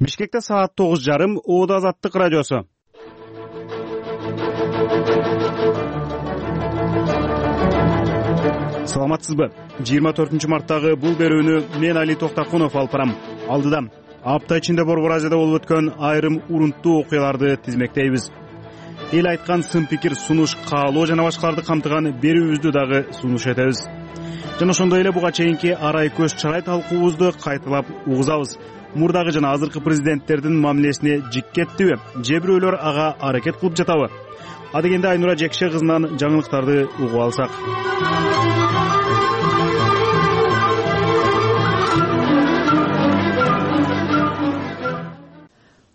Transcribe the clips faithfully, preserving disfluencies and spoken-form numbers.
Бишкекте саат тогуз жарым. Оода Азаттык радиосу. Саламатсызбы? жыйырма төртүнчү марттагы бул берүүнү мен Али Токтакунов алып барам. Алдыда апта ичинде Борбор Азияда болуп өткөн айрым урунттуу окуяларды тизмектейбиз. Эл айткан сын пикир, сунуш, каалоо жана башкаларды камтыган берүүбүздү дагы сунуш этебиз. Жана ошондой эле буга чейинки арай көз чарай талкуубузду кайталап угузабыз. Мурдагы жана азыркы президенттердин мамилесине жик кеттиби, же бирөөлөр ага аракет кылып жатабы? Адегенде Айнура Жекше кызынан жаңылыктарды угуп алсак.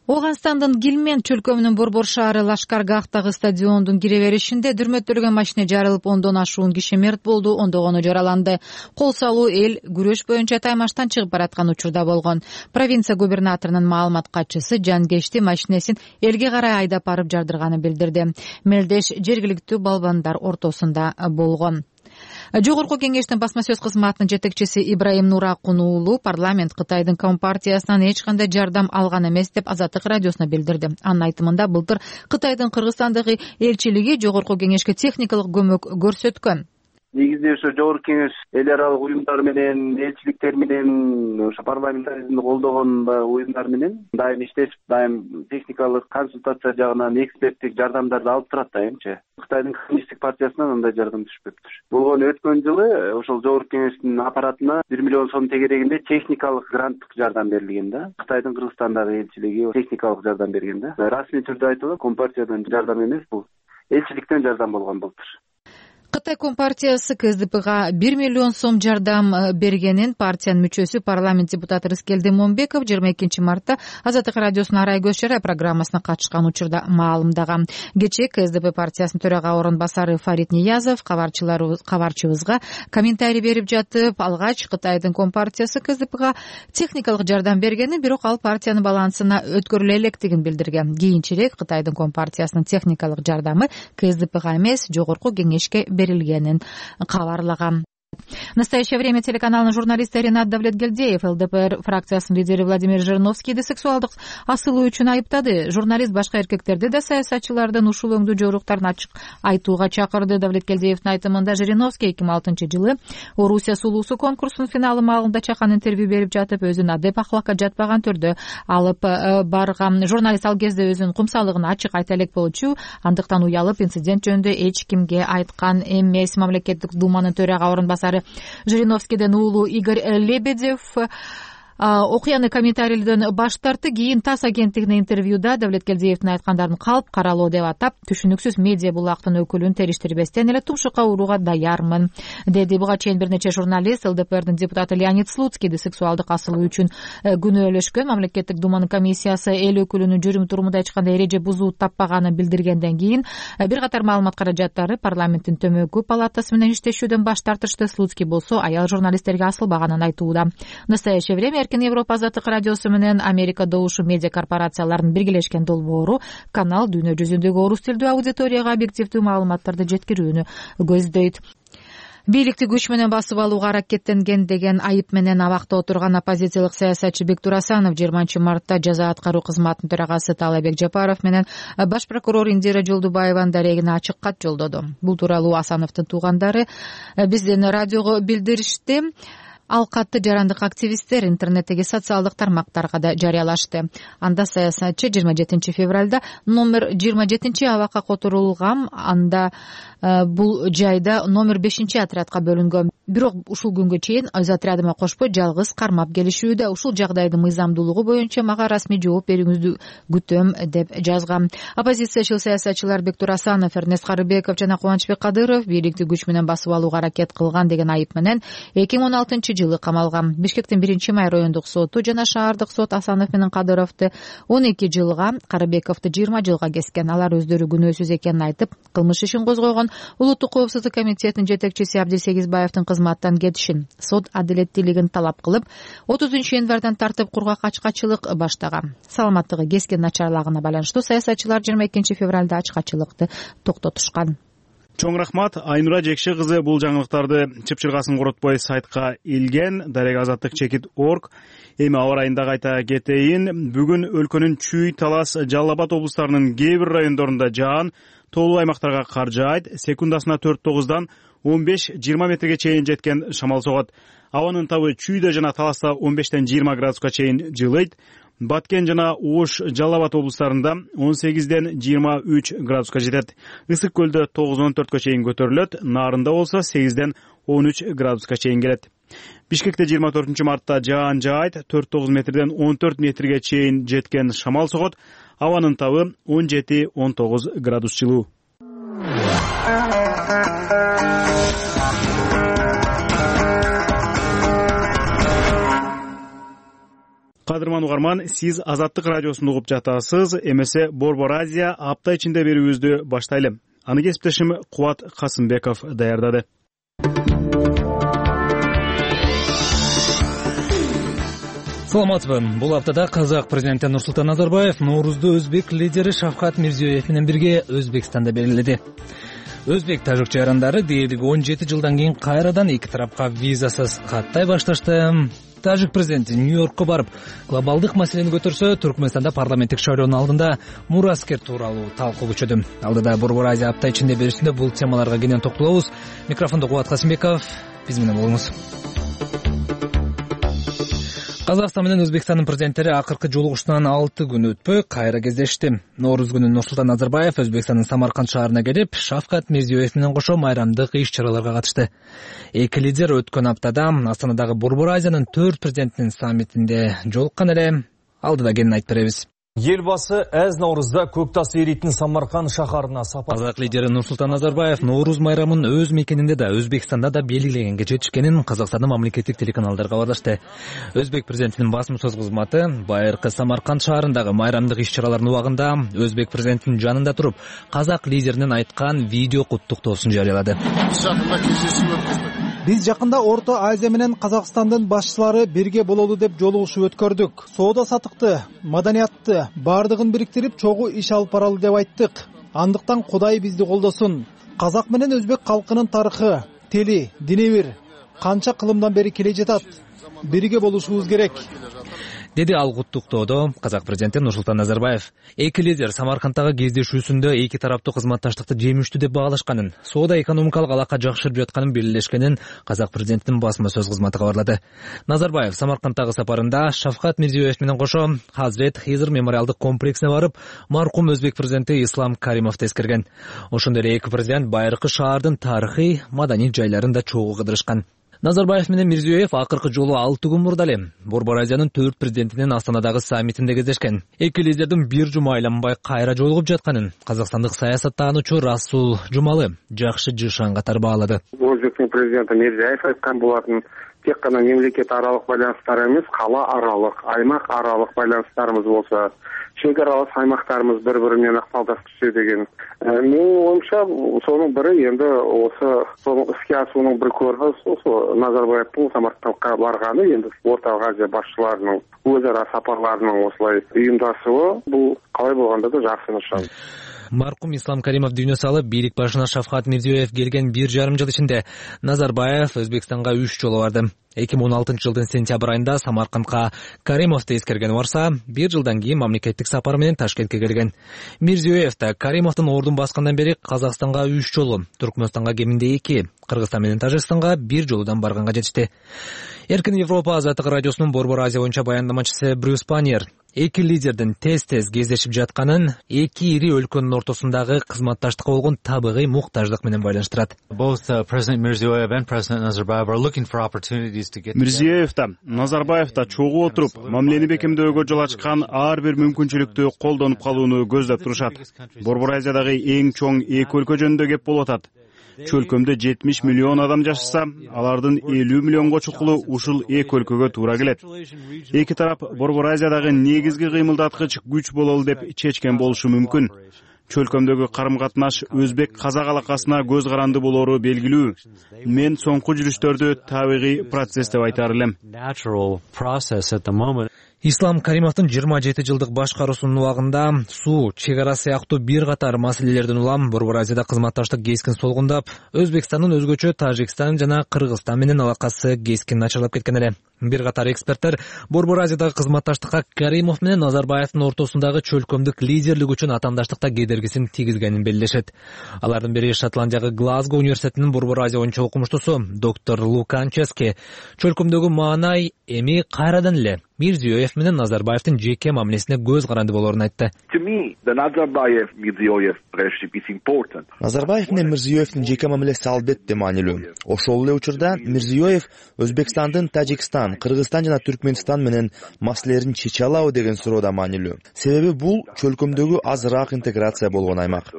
Ооганстандын Гилмен чөлкөмүнүн Борбор шаары Лашкаргахтагы стадиондун кире беришинде дүрмөттөлгөн машина жарылып, ондон ашуун киши мерт болду, ондогону жараланды. Кол салуу эл күрөш боюнча таймаштан чыгып бараткан учурда болгон. Провинция губернаторунун маалымат катчысы Жангешти машинесин элге карай айдап барып жардырганын билдирди. Мелдеш жергиликтүү балбандар ортосунда болгон. Жогорку кеңештин басма сөз кызматынын жетекчиси Ибраим Нуракун уулу парламент Кытайдын Компартиясынан эч кандай жардам алган эмес деп Азаттык радиосуна билдирди. Анын айтымында былтыр Кытайдын Кыргызстандагы элчилиги жогорку кеңешке техникалык көмөк көрсөткөн. Негизинде ошо жогорку кеңеш эл аралык уюмдар менен, элчиликтер менен, ошо парламентаризмди колдогон баягы уюмдар менен дайым иштешип, дайым техникалык консультация жагынан эксперттик жардамдарды алып турат дайымчы. Кытайдын коммунисттик партиясынан андай жардам түшпөптүр. Болгон өткөн жылы ошол жогорку кеңештин аппаратына бир миллион сом тегерегинде техникалык гранттык жардам берилген да. Кытайдын Кыргызстандагы элчилиги техникалык жардам берген да. Расмий түрдө айтылат, Компартиядан жардам эмес, бул элчиликтен жардам болгон былтыр. Кытай Компартиясы КСДПга бир миллион сом жардам бергенин партиянын мүчөсү парламент депутаты Рыскелди Момбеков жыйырма экинчи мартта Азаттык радиосунун арай көз чарай программасына катышкан учурда маалымдаган. Кечээ КСДП партиясынын төрага орун басары Фарид Ниязов кабарчыбызга комментарий берип жатып, алгач Кытайдын Компартиясы КСДПга техникалык жардам бергенин, бирок ал партиянын балансына өткөрүлө электигин билдирген. Кийинчерээк Кытайдын Компартиясынын техникалык жардамы КСДПга эмес, жогорку кеңешке берилгенин кабарлаган. В настоящее время телеканалдын журналисти Ринат Давлетгелдиев ЛДПР фракциясынын лидери Владимир Жириновскийди сексуалдык асылуу үчүн айыптады. Журналист башка эркектерди да саясатчылардын ушул өңдүү жоруктарын ачык айтууга чакырды. Давлетгелдиевдин айтымында Жириновский эки миң алтынчы жылы Орусия сулуусу конкурсунун финалы маалында чакан интервью берип жатып, өзүн адеп ахлакка жатпаган түрдө алып барган. Журналист ал кезде өзүнүн кумсалыгын ачык айта элек болчу, андыктан уялып инцидент жөнүндө эч кимге айткан эмес. Мамлекеттик думанын төрага орун басары Жириновскийден уулу Игорь Лебедев окуяны комментарийлерден баш тартты. Кийин ТАСС агенттигине интервьюда Давлеткелдиевдин айткандарын калп каралоо деп атап, түшүнүксүз медиа булактын өкүлүн териштирбестен эле тумшукка урууга даярмын деди. Буга чейин бир нече журналист ЛДПРдин депутаты Леонид Слуцкийди сексуалдык асылуу үчүн күнөөлөшкөн. Мамлекеттик думанын комиссиясы эл өкүлүнүн жүрүм турумунда эч кандай эреже бузуу таппаганын билдиргенден кийин бир катар маалымат каражаттары парламенттин төмөнкү палатасы менен иштешүүдөн баш тартышты. Слуцкий болсо аял журналисттерге асылбаганын айтууда. В настоящее время Эркин Европа Азаттык радиосу менен Америка добушу медиа корпорацияларынын биргелешкен долбоору канал дүйнө жүзүндөгү орус тилдүү аудиторияга объективдүү маалыматтарды жеткирүүнү көздөйт. Бийликти күч менен басып алууга аракеттенген деген айып менен абакта отурган оппозициялык саясатчы Бектур Асанов жыйырманчы мартта жаза аткаруу кызматынын төрагасы Таалайбек Жапаров менен баш прокурор Индира Жолдубаеванын дарегине ачык кат жолдоду. Бул тууралуу Асановдун туугандары биздин радиого билдиришти. Ал катты жарандык активисттер интернеттеги социалдык тармактарга да жарыялашты. Анда саясатчы жыйырма жетинчи февралда номер жыйырма жетинчи абакка которулган. Анда бул жайда номер бешинчи отрядка бөлүнгөн. Бирок ушул күнгө чейин өз отрядыма кошпой жалгыз кармап келишүүдө. Ушул жагдайдын мыйзамдуулугу боюнча мага расмий жооп берүүңүздү күтөм деп жазган. Оппозициячыл саясатчылар Бектур Асанов, Эрнест Карыбеков жана Кубанычбек Кадыров бийликти күч менен басып алууга аракет кылган деген айып менен эки миң он алтынчы жылы камалган. Бишкектин биринчи май райондук соту жана шаардык сот Асанов менен Кадыровду он эки жылга, Карыбековду жыйырма жылга кескен. Алар өздөрү күнөөсүз экенин айтып, кылмыш ишин козгойгон. Улуттук коопсуздук комитетинин жетекчиси Абдисегизбаевдин кызматтан кетишин, сот адилеттүүлүгүн талап кылып, отузунчу январдан тартып кургак ачкачылык баштаган. Саламаттыгы кескен начарлагына байланыштуу саясатчылар жыйырма экинчи февралда ачкачылыкты токтотушкан. Чоң рахмат. Айнура Жекше кызы бул жаңылыктарды чыпчыргасын коротпой сайтка илген. Дарек азаттык чекит орг. Эми аба ырайында кайта кетейин. Бүгүн өлкөнүн Чүй, Талас, Жалал Абад облустарынын кээ бир райондорунда жаан тоолуу аймактарга кар жаайт. Секундасына төрт тогуздан он беш жыйырма метрге чейин жеткен шамал согот. Абанын табы Чүйдө жана Таласта он бештен жыйырма градуска чейин жылыйт. Баткен жана Ош, Жалал Абад облустарында он сегизден жыйырма үч градуска жетет. Ысык көлдө тогуз он төрткө чейин көтөрүлөт. Нарында болсо сегизден он үч градуска чейин келет. Бишкекте жыйырма төртүнчү мартта жаан жаайт. төрт тогуз метрден он төрт метрге чейин жеткен шамал согот. Абанын табы он жети он тогуз градус жылуу. Кадырман угарман, сиз Азаттык радиосун угуп жатасыз. Эмесе Борбор Азия апта ичинде берүүбүздү баштайлы. Аны кесиптешим Кубат Касымбеков даярдады. Саламатсызбы. Бул аптада казак президенти Нурсултан Назарбаев Ноорузду өзбек лидери Шавкат Мирзиёев менен бирге Өзбекстанда белгиледи. Өзбек-тажик жарандары дээрлик он жети жылдан кийин кайрадан эки тарапка визасыз каттай башташты. Тажик президенти Нью-Йоркко барып, глобалдык маселени көтөрсө, Түркмөнстанда парламенттик шайлоонун алдында мураскер тууралуу талкуу күчөдү. Алдыда Борбор Азия апта ичинде берүүсүндө бул темаларга кенен токтолобуз. Микрофондо Кубат Касымбеков, биз менен болуңуз. Казакстан менен Өзбекстандын президенттери акыркы жолугушуудан алты күн өтпөй кайра кездешти. Нооруз күнү Нурсултан Назарбаев Өзбекстандын Самарканд шаарына келип, Шавкат Мирзиёев менен кошо майрамдык иш-чараларга катышты. Эки лидер өткөн аптада Астанадагы Борбор Азиянын төрт президентинин саммитинде жолуккан эле. Алдыда кенен айтып беребиз. Елбасы әз Наурызда көк тас эритин Самарканд шаарына сапар. Казак лидери Нурсултан Назарбаев Нооруз майрамын өз мекенинде да, Өзбекстанда да белгилегенге жетишкенин Казакстандын мамлекеттик телеканалдары кабарлашты. Өзбек президентинин басма сөз кызматы байыркы Самарканд шаарындагы майрамдык иш-чаралардын убагында Өзбек президентинин жанында туруп, казак лидеринин айткан видео куттуктоосун жарыялады. Биз жакында Орто Азия менен Казакстандын башчылары бирге бололу деп жолугушуу өткөрдүк. Соода сатыкты, маданиятты бардыгын бириктирип чогуу иш алып баралы деп айттык. Андыктан Кудай бизди колдосун. Казак менен өзбек калкынын тарыхы, тили, дини бир канча кылымдан бери келе жатат. Бирге болушубуз керек, деди ал куттуктоодо казак президенти Нурсултан Назарбаев. Эки лидер Самаркандтагы кездешүүсүндө эки тараптуу кызматташтыкты жемиштүү деп баалашканын, соода экономикалык алака жакшырып жатканын белгилешкенин казак президентинин басма сөз кызматы кабарлады. Назарбаев Самаркандтагы сапарында Шавкат Мирзиёев менен кошо Хазрет Хизр мемориалдык комплексине барып, маркум өзбек президенти Ислам Каримовду эскерген. Ошондой эле эки президент байыркы шаардын тарыхый, маданий жайларын да чогуу кыдырышкан. Назарбаев менен Мирзиёев акыркы жолу алты күн мурда эле Борбор Азиянын төрт президентинин Астанадагы саммитинде кездешкен. Эки лидердин бир жума айланбай кайра жолугуп жатканын казакстандык саясаттануучу Расул Жумалы жакшы жышан катары баалады. Өзбектин президенти Мирзиёев айткан болатын, тек гана мемлекет аралык байланыштар эмес, кала аралык, аймак аралык байланыштарыбыз болсо, чек аралык аймактарыбыз бири-бири менен ыкмалдашчу деген. Менин оюмча, сонун бири энди осы сонун иске асуунун бир көрүнүшү ошо Назарбаевдин Самаркандка барганы, энди Орто Азия башчыларынын өз ара сапарларынын осулай уюмдашуусу бул калай болгондо да жакшы нышан. Маркум Ислам Каримов дүйнө салып, бийлик башына Шавкат Мирзиёев келген бир жарым жыл ичинде Назарбаев Өзбекстанга үч жолу барды. эки миң он алтынчы жылдын сентябрь айында Самаркандка Каримовду эскерген барса, бир жылдан кийин мамлекеттик сапар менен Ташкентке келген. Мирзиёев да Каримовдун ордун баскандан бери Казакстанга үч жолу, Түркмөнстанга кеминде эки, Кыргызстан менен Тажикстанга бир жолудан барганга жетишти. Эркин Европа Азаттык радиосунун Борбор Азия боюнча баяндамачысы Брюс Паньер эки лидердин тез-тез кездешип жатканын эки ири өлкөнүн ортосундагы кызматташтыкка болгон табигый муктаждык менен байланыштырат. Мирзиёев да, Назарбаев да чогуу отуруп, мамилени бекемдөөгө жол ачкан ар бир мүмкүнчүлүктү колдонуп калууну көздөп турушат. Борбор Азиядагы эң чоң эки өлкө жөнүндө кеп болуп атат. Чөлкөмдө жетимиш миллион адам жашаса, алардын элүү миллионго чукулу ушул эки өлкөгө туура келет. Эки тарап Борбор Азиядагы негизги кыймылдаткыч күч бололу деп чечкен болушу мүмкүн. Чөлкөмдөгү карым-катнаш өзбек-казак алакасына көз каранды болору белгилүү. Мен соңку жүрүштөрдү табигый процесс деп айтар элем. Ислам Каримовдун жыйырма жети жылдык башкаруусунун убагында суу, чек ара сыяктуу бир катар маселелерден улам Борбор Азияда кызматташтык кескин солгундап, Өзбекстандын өзгөчө Тажикстан жана Кыргызстан менен алакасы кескин начарлап кеткен эле. Бир катар эксперттер Борбор Азиядагы кызматташтыкка Каримов менен Назарбаевдин ортосундагы чөлкөмдүк лидерлик үчүн атамдаштыкта кедергисин тийгизгенин белгилешет. Алардын бири Шотландиядагы Глазго университетинин Борбор Азия боюнча окумуштусу доктор Луканчески чөлкөмдөгү маанай эми кайрадан эле Мирзиёев менен Назарбаевдин жеке мамилесине көз каранды болоорун айтты. Назарбаев менен Мирзиёевдин жеке мамилеси албетте маанилүү. Ошол эле учурда Мирзиёев Өзбекстандын Тажикстан, Кыргызстан жана Түркмөнстан менен маселелерин чече алабы деген суроо да маанилүү. Себеби бул чөлкөмдөгү азыраак интеграция болгон аймак.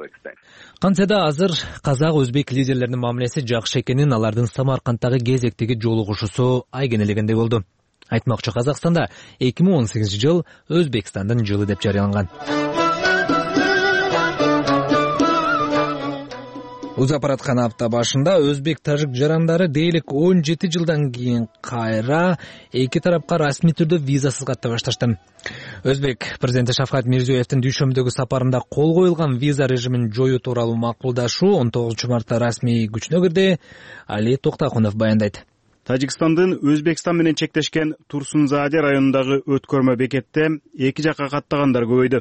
Кантсе да азыр казак өзбек лидерлеринин мамилеси жакшы экенин алардын Самаркандтагы кезектеги жолугушуусу айгинелегендей болду. Айтмакчы, Казакстанда эки миң он сегизинчи жыл Өзбекстандын жылы деп жарыяланган. Узап бараткан апта башында өзбек-тажик жарандары дейлик он жети жылдан кийин кайра эки тарапка расмий түрдө визасыз каттай башташты. Өзбек президенти Шавкат Мирзиёевдин дүйшөмбүдөгү сапарында кол коюлган виза режимин жоюу тууралуу макулдашуу он тогузунчу мартта расмий күчүнө кирди. Али Токтакунов баяндайт. Тажикстандын Өзбекстан менен чектешкен Турсунзааде районундагы өткөрмө бекетте эки жакка каттагандар көбөйдү.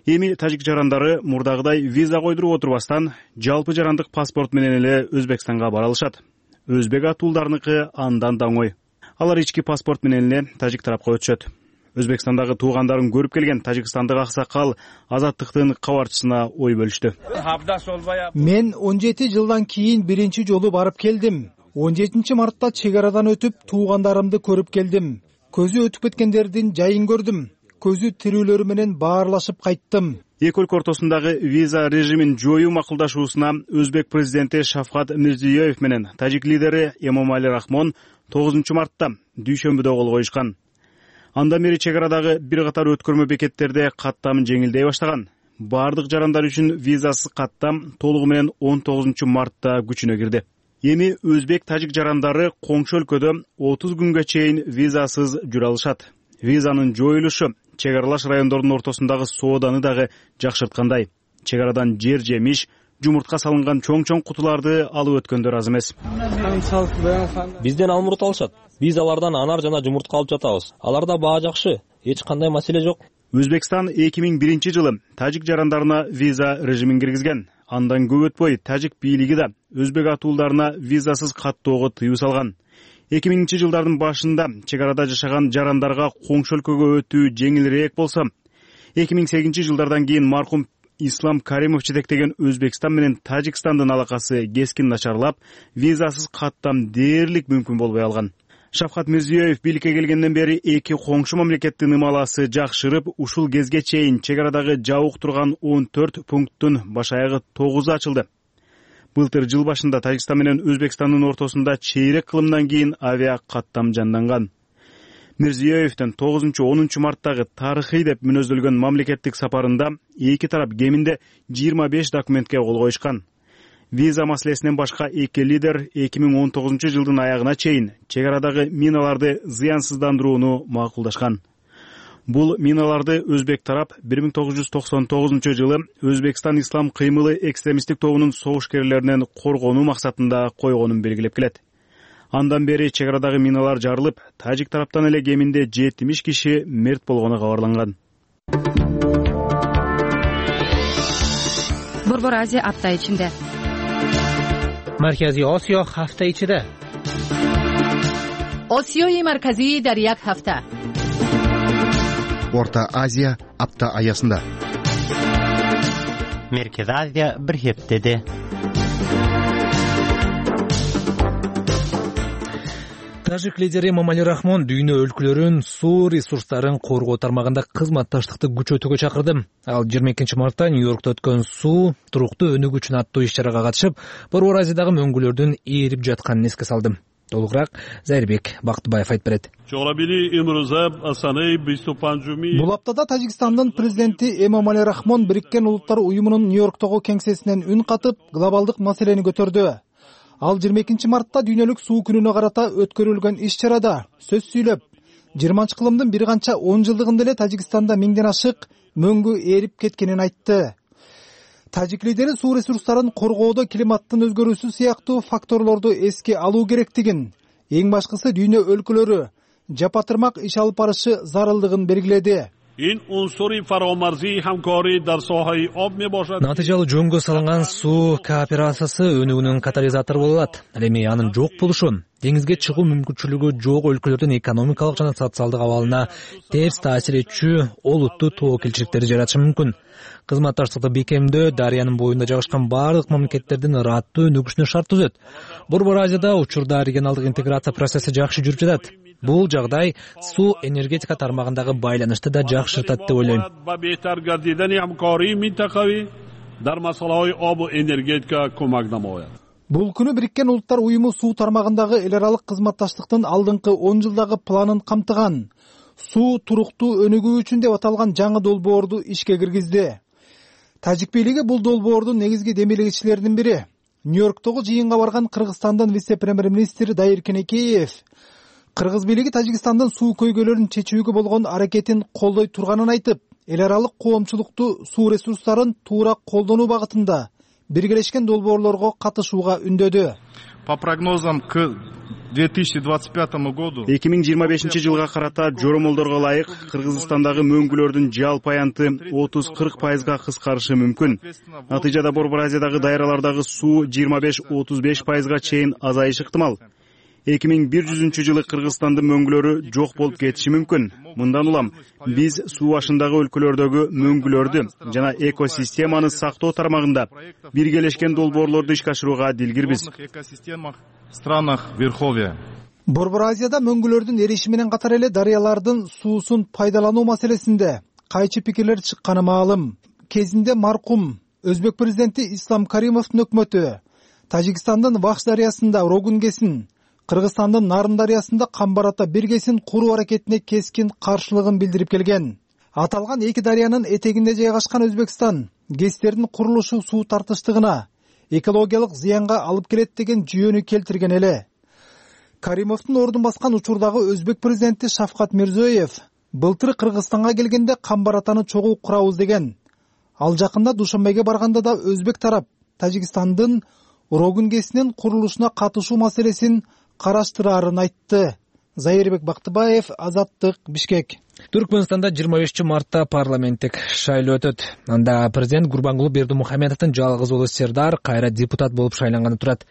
Эми тажик жарандары мурдагыдай виза койдуруп отурбастан жалпы жарандык паспорт менен эле Өзбекстанга бара алышат. Өзбек атуулдарыныкы андан да оңой. Алар ички паспорт менен эле тажик тарапка өтүшөт. Өзбекстандагы туугандарын көрүп келген тажикстандык аксакал Азаттыктын кабарчысына ой бөлүштү. Мен он жети жылдан кийин биринчи жолу барып келдим. он жетинчи мартта чек арадан өтүп туугандарымды көрүп келдим. Көзү өтүп кеткендердин жайын көрдүм. Көзү тирүүлөрү менен баарлашып кайттым. Эки өлкө ортосундагы виза режимин жоюу макулдашуусуна Өзбек президенти Шавкат Мирзиёев менен тажик лидери Эмомали Рахмон тогузунчу мартта дүйшөмбүдө кол коюшкан. Андан бери чек арадагы бир катар өткөрмө бекеттерде каттам жеңилдей баштаган. Бардык жарандар үчүн визасыз каттам толугу менен он тогузунчу мартта күчүнө кирди. Эми өзбек-тажик жарандары коңшу өлкөдө отуз күнгө чейин визасыз жүрө алышат. Визанын жоюлушу чек аралаш райондордун ортосундагы сооданы дагы жакшырткандай. Чек арадан жер жемиш, жумуртка салынган чоң-чоң кутуларды алып өткөндөр аз эмес. Бизден алмурут алышат. Биз алардан анар жана жумуртка алып жатабыз. Аларда баа жакшы, эч кандай маселе жок. Өзбекстан эки миң биринчи жылы тажик жарандарына виза режимин киргизген. Андан көп өтпөй тажик бийлиги да өзбек атуулдарына визасыз каттоого тыюу салган. эки миңинчи жылдардын башында чек арада жашаган жарандарга коңшу өлкөгө өтүү жеңилирээк болсо, эки миң сегизинчи жылдардан кийин маркум Ислам Каримов жетектеген Өзбекстан менен Тажикстандын алакасы кескин начарлап, визасыз каттам дээрлик мүмкүн болбой алган. Шавкат Мирзиёев бийликке келгенден бери эки коңшу мамлекеттин ымаласы жакшырып, ушул кезге чейин чек арадагы жабык турган он төрт пункттун баш аягы тогузу ачылды. Былтыр жыл башында Тажикстан менен Өзбекстандын ортосунда чейрек кылымдан кийин авиа каттам жанданган. Мирзиёевдин тогузунчу онунчу марттагы тарыхый деп мүнөздөлгөн мамлекеттик сапарында эки тарап кеминде жыйырма беш документке кол коюшкан. Виза маселесинен башка эки лидер эки миң он тогузунчу жылдын аягына чейин чек арадагы миналарды зыянсыздандырууну макулдашкан. Бул миналарды өзбек тарап бир миң тогуз жүз токсон тогузунчу жылы Өзбекстан ислам кыймылы экстремисттик тобунун согушкерлеринен коргонуу максатында койгонун белгилеп келет. Андан бери чек арадагы миналар жарылып, тажик тараптан эле кеминде жетимиш киши мерт болгону кабарланган. Борбор Азия апта ичинде. Марказий Осиё ҳафта ичиде. Осиёи марказӣ дар як ҳафта. Орта Азия апта аясында. Меркез Азия бир хептеде. Тажик лидери Эмомали Рахмон дүйнө өлкөлөрүн суу ресурстарын коргоо тармагында кызматташтыкты күчөтүүгө чакырды. Ал жыйырма экинчи мартта Нью-Йоркто өткөн суу туруктуу өнүгүү үчүн аттуу иш-чарага катышып, Борбор Азиядагы мөңгүлөрдүн ээрип жатканын эске салды. Толугураак Зайырбек Бактыбаев айтып берет. Бул аптада Тажикстандын президенти Эмомали Рахмон Бириккен Улуттар уюмунун Нью-Йорктогу кеңсесинен үн катып, глобалдык маселени көтөрдү. Ал жыйырма экинчи мартта дүйнөлүк суу күнүнө карата өткөрүлгөн иш-чарада сөз сүйлөп, жыйырманчы кылымдын бир канча он жылдыгында эле Тажикстанда миңден ашык мөңгү ээрип кеткенин айтты. Тажик лидери суу ресурстарын коргоодо климаттын өзгөрүүсү сыяктуу факторлорду эске алуу керектигин, эң башкысы дүйнө өлкөлөрү жапатырмак иш алып барышы зарылдыгын белгиледи. Натыйжалуу жөнгө салынган суу кооперациясы өнүгүүнүн катализатору боло алат. Ал эми анын жок болушу деңизге чыгуу мүмкүнчүлүгү жок өлкөлөрдүн экономикалык жана социалдык абалына терс таасир этчү олуттуу тобокелчиликтерди жаратышы мүмкүн. Кызматташтыкты бекемдөө дарыянын боюнда жайгашкан бардык мамлекеттердин ыраттуу өнүгүшүнө шарт түзөт. Борбор Азияда учурда регионалдык интеграция процесси жакшы жүрүп жатат. Бул жагдай суу энергетика тармагындагы байланышты да жакшыртат деп ойлойм. Бул күнү Бириккен Улуттар уюму суу тармагындагы эл аралык кызматташтыктын алдыңкы он жылдагы планын камтыган суу туруктуу өнүгүү үчүн деп аталган жаңы долбоорду ишке киргизди. Тажик бийлиги бул долбоордун негизги демелегичилеринин бири. Нью-Йорктогу жыйынга барган Кыргызстандын вице-премьер-министри Дайыр Кенекеев Кыргыз бийлиги Тажикстандын суу көйгөйлөрүн чечүүгө болгон аракетин колдой турганын айтып, эл аралык коомчулукту суу ресурстарын туура колдонуу багытында биргелешкен долбоорлорго катышууга үндөдү. По прогнозам к две тысячи двадцать пятому году эки миң жыйырма бешинчи жылга карата жоромолдорго ылайык Кыргызстандагы мөңгүлөрдүн жалпы аянты отуз кырк пайызга кыскарышы мүмкүн. Натыйжада Борбор Азиядагы дайралардагы суу жыйырма беш отуз беш пайызга чейин азайышы ыктымал. эки миң бир жүзүнчү жылы Кыргызстандын мөңгүлөрү жок болуп кетиши мүмкүн. Мындан улам биз суу башындагы өлкөлөрдөгү мөңгүлөрдү жана экосистеманы сактоо тармагында биргелешкен долбоорлорду ишке ашырууга дилгирбиз. Борбор Азияда мөңгүлөрдүн эриши менен катар эле дарыялардын суусун пайдалануу маселесинде кайчы пикирлер чыкканы маалым. Кезинде маркум Өзбек президенти Ислам Каримовдун өкмөтү Тажикстандын Вахш дарыясында Рогунгесин, Кыргызстандын Нарын дарыясында Камбарата биргесин куруу аракетине кескин каршылыгын билдирип келген. Аталган эки дарыянын этегинде жайгашкан Өзбекстан ГЭСтердин курулушу суу тартыштыгына, экологиялык зыянга алып келет деген жүйөнү келтирген эле. Каримовдун ордун баскан учурдагы Өзбек президенти Шавкат Мирзиёев былтыр Кыргызстанга келгенде Камбаратаны чогуу курабыз деген. Ал жакында Душанбеге барганда да Өзбек тарап Тажикстандын Рогунгесинин курулушуна катышуу маселесин караштыраарын айтты. Зайырбек Бактыбаев, Азаттык, Бишкек. Түркмөнстанда жыйырма бешинчи мартта парламенттик шайлоо өтөт. Анда президент Гурбангулы Бердимухамедовдун жалгыз уулу Сердар кайра депутат болуп шайланганы турат.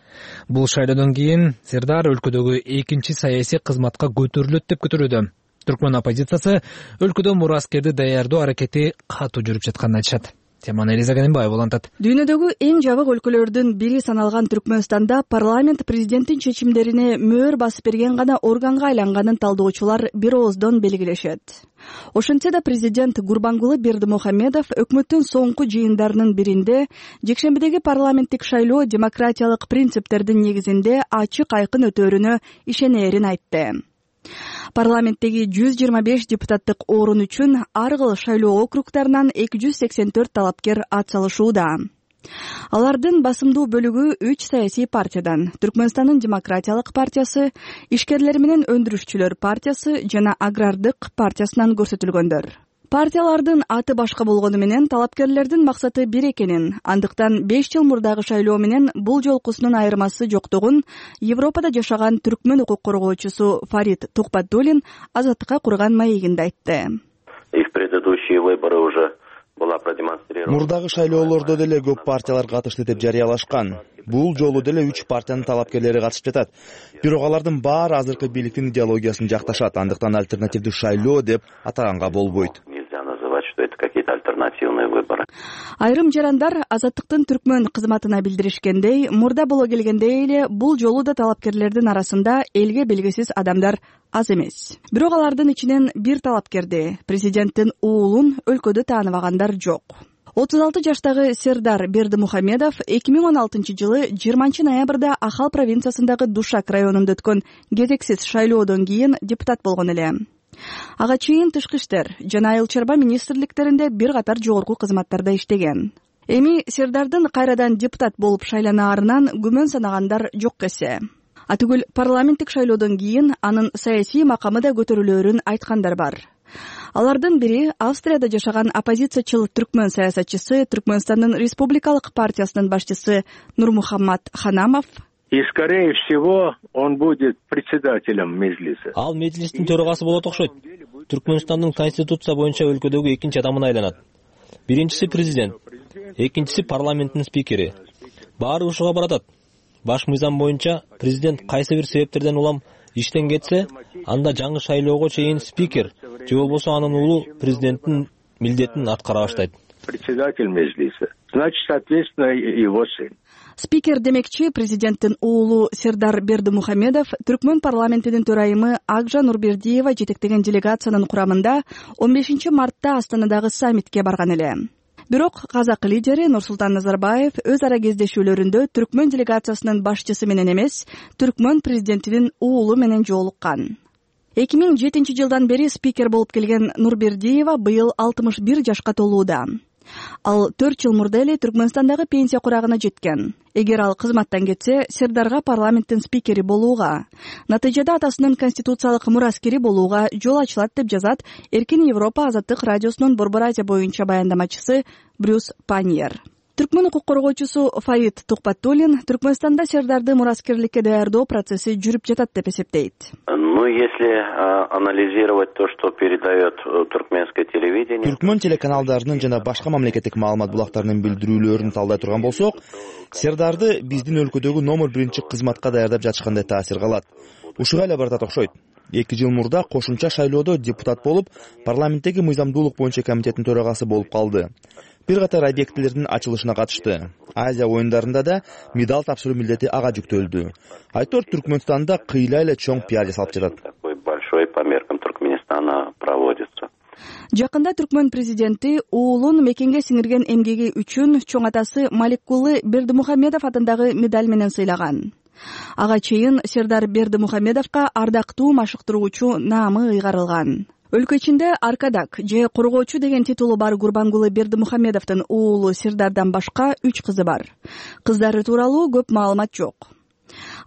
Бул шайлоодон кийин Сердар өлкөдөгү экинчи саясий кызматка көтөрүлөт деп күтүлүүдө. Түркмөн оппозициясы өлкөдө мураскерди даярдоо аракети катуу жүрүп жатканын айтышат. Теманы Элиза Ганимбаева улантат. Дүйнөдөгү эң жабык өлкөлөрдүн бири саналган Түркмөнстанда парламент президенттин чечимдерине мөөр басып берген гана органга айланганын талдоочулар бир ооздон белгилешет. Ошентсе да президент Гурбангулы Бердимухамедов өкмөттүн соңку жыйындарынын биринде жекшембидеги парламенттик шайлоо демократиялык принциптердин негизинде ачык айкын өтөөрүнө ишенээрин айтты. Парламенттеги жүз жыйырма беш депутаттык орун үчүн ар кыл шайлоо округтарынан эки жүз сексен төрт талапкер ат салышууда. Алардын басымдуу бөлүгү үч саясий партиядан: Түркмөнстандын демократиялык партиясы, ишкерлер менен өндүрүшчүлөр партиясы жана агрардык партиясынан көрсөтүлгөндөр. Партиялардын аты башка болгону менен талапкерлердин максаты бир экенин, андыктан беш жыл мурдагы шайлоо менен бул жолкусунун айырмасы жоктугун Европада жашаган түркмөн укук коргоочусу Фарид Тухбатдулин Азаттыкка курган маегинде айтты. Мурдагы шайлоолордо деле көп партиялар катышты деп жарыялашкан. Бул жолу деле үч партиянын талапкерлери катышып жатат. Бирок алардын баары азыркы бийликтин идеологиясын жакташат, андыктан альтернативдүү шайлоо деп атаганга болбойт. Айрым жарандар Азаттыктын түркмөн кызматына билдиришкендей, мурда боло келгендей эле бул жолу да талапкерлердин арасында элге белгисиз адамдар аз эмес. Бирок алардын ичинен бир талапкерди, президенттин уулун өлкөдө тааныбагандар жок. отуз алты жаштагы Сердар Бердимухамедов эки миң он алтынчы жылы жыйырманчы ноябрда Ахал провинциясындагы Душак районунда өткөн кезексиз шайлоодон кийин депутат болгон эле. Ага чейин тышкы иштер жана айыл чарба министрликтеринде бир катар жогорку кызматтарда иштеген. Эми Сердардын кайрадан депутат болуп шайланаарынан күмөн санагандар жок эсе. Атүгүл парламенттик шайлоодон кийин анын саясий макамы да көтөрүлөөрүн айткандар бар. Алардын бири Австрияда жашаган оппозициячыл түркмөн саясатчысы, Түркмөнстандын республикалык партиясынын башчысы Нурмухаммад Ханамов. И, скорее всего, он будет председателем Меджлиса. Ал Меджлистин төрагасы болот окшойт. Түркмөнстандын конституция боюнча өлкөдөгү экинчи адамына айланат. Биринчиси президент, экинчиси парламенттин спикери. Баары ушуга баратат. Баш мыйзам боюнча президент кайсы бир себептерден улам иштен кетсе, анда жаңы шайлоого чейин спикер же болбосо анын уулу президенттин милдетин аткара баштайт. Председатель Меджлиса. Значит, соответственно, его сын. Спикер демекчи президенттин уулу Сердар Бердимухамедов Түркмөн парламентинин төрайымы Акжа Нурбердиева жетектеген делегациянын курамында он бешинчи мартта Астанадагы саммитке барган эле. Бирок казак лидери Нурсултан Назарбаев өз ара кездешүүлөрүндө Түркмөн делегациясынын башчысы менен эмес, Түркмөн президентинин уулу менен жолуккан. эки миң жетинчи жылдан бери спикер болуп келген Нурбердиева быйыл алтымыш бир жашка толууда. Ал төрт жыл мурда эле Түркмөнстандагы пенсия курагына жеткен. Эгер ал кызматтан кетсе, Сердарга парламенттин спикери болууга, натыйжада атасынын конституциялык мураскери болууга жол ачылат деп жазат Эркин Европа азаттык радиосунун Борбор Азия боюнча баяндамачысы Брюс Паньер. Түркмөн укук коргоочусу Фаид Тухпатуллин Түркмөнстанда Сердарды мураскерликке даярдоо процесси жүрүп жатат деп эсептейт. Ну, если а, анализировать то, что передает туркменское телевидение... Түркмөн телеканалдарынын жана башка мамлекеттик маалымат булактарынын билдирүүлөрүн талдай турган болсок, Сердарды биздин өлкөдөгү номер биринчи кызматка даярдап жатышкандай таасир калат. Ушуга эле баратат окшойт. эки жыл мурда кошумча шайлоодо депутат болуп, парламенттеги мыйзамдуулук боюнча комитеттин төрагасы болуп калды. Бир катар объектилердин ачылышына катышты. Азия оюндарында да медаль тапшыруу милдети ага жүктөлдү. Айтор Түркмөнстанда кыйла эле чоң пиар жасалып жатат. Такой большой по меркам Туркменистана проводится. Жакында Түркмөн президенти уулун мекенге сиңирген эмгеги үчүн чоң атасы Маликкулы Бердимухамедов атындагы медаль менен сыйлаган. Ага чейин Сердар Бердимухамедовго ардактуу машыктыруучу наамы ыйгарылган. Өлкө ичинде Аркадак же коргоочу деген титулу бар Гурбангулы Бердимухамедовдун уулу Сердардан башка үч кызы бар. Кыздары тууралуу көп маалымат жок.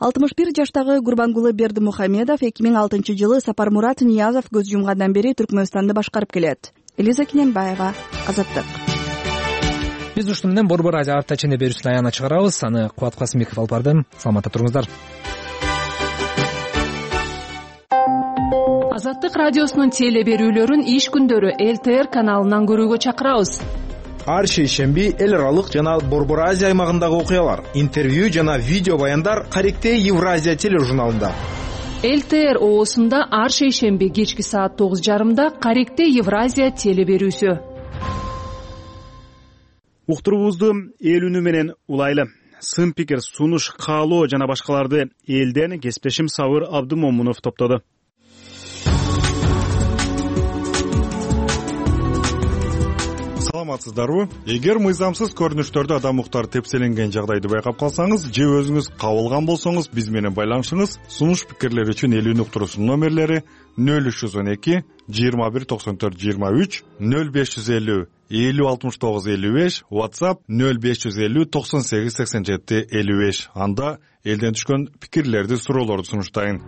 алтымыш бир жаштагы Гурбангулы Бердимухамедов эки миң алтынчы жылы Сапармурат Ниязов көз жумгандан бери Түркмөнстанды башкарып келет. Элиза Киненбаева, Азаттык. Биз ушуну менен Борбор Азия апта ичинде берүүсүн аягына чыгарабыз. Аны Кубат Касымбеков алып барды. Саламатта туруңуздар. Азаттык радиосунун теле берүүлөрүн иш күндөрү эл тэ эр каналынан көрүүгө чакырабыз. Ар шейшемби эл аралык жана Борбор Азия аймагындагы окуялар, интервью жана видео баяндар Каректе Евразия тележурналында. эл тэ эр оосунда ар шейшемби кечки саат тогуз жарымда Каректе Евразия теле берүүсү. Уктуруубузду эл үнү менен улайлы. Сын пикир, сунуш, каалоо жана башкаларды элден кесиптешим Сабыр Абдымомунов топтоду. Саламатсыздарбы? Эгер мыйзамсыз көрүнүштөрдө адам укуктары тепселенген жагдайды байкап калсаңыз же өзүңүз кабылган болсоңуз биз менен байланышыңыз. Сунуш пикирлер үчүн эл үнү уктуруусунун номерлери нөл үч жүз он эки жыйырма бир токсон төрт жыйырма үч, нөл беш жүз элүү элүү алтымыш тогуз элүү беш, WhatsApp нөл беш жүз элүү токсон сегиз сексен жети элүү беш. Анда элден түшкөн пикирлерди, суроолорду сунуштайын.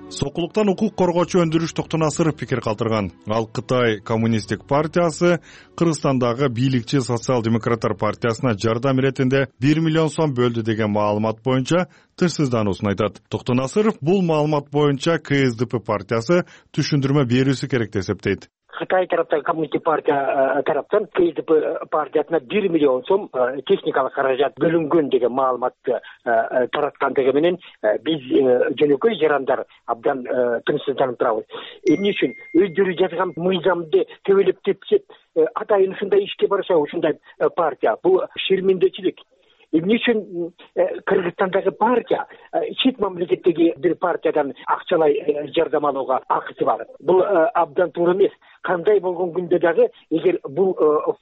Сокулуктан укук коргоочу Өндүрүш Токтонасыров пикир калтырган. Ал Кытай коммунисттик партиясы Кыргызстандагы бийликчи социал-демократтар партиясына жардам иретинде бир миллион сом бөлдү деген маалымат боюнча тынчсыздануусун айтат. Токтонасыров бул маалымат боюнча ка эс дэ пэ партиясы түшүндүрмө берүүсү керек деп эсептейт. Кытай тараптан, коммунистик партия тараптан ка эс дэ пэ партиясына бир миллион сом техникалык каражат бөлүнгөн деген маалыматты тараткандыгы менен биз жөнөкөй жарандар абдан тынчсызданып турабыз. Эмне үчүн өздөрү жазган мыйзамды төбөлөп тепсеп, атайын ушундай ишке барса ушундай партия, бул шермендечилик. Эмне үчүн Кыргызстандагы партия чет мамлекеттеги бир партиядан акчалай жардам алууга акысы бар. Бул абдан туура эмес. Кандай болгон күндө дагы эгер бул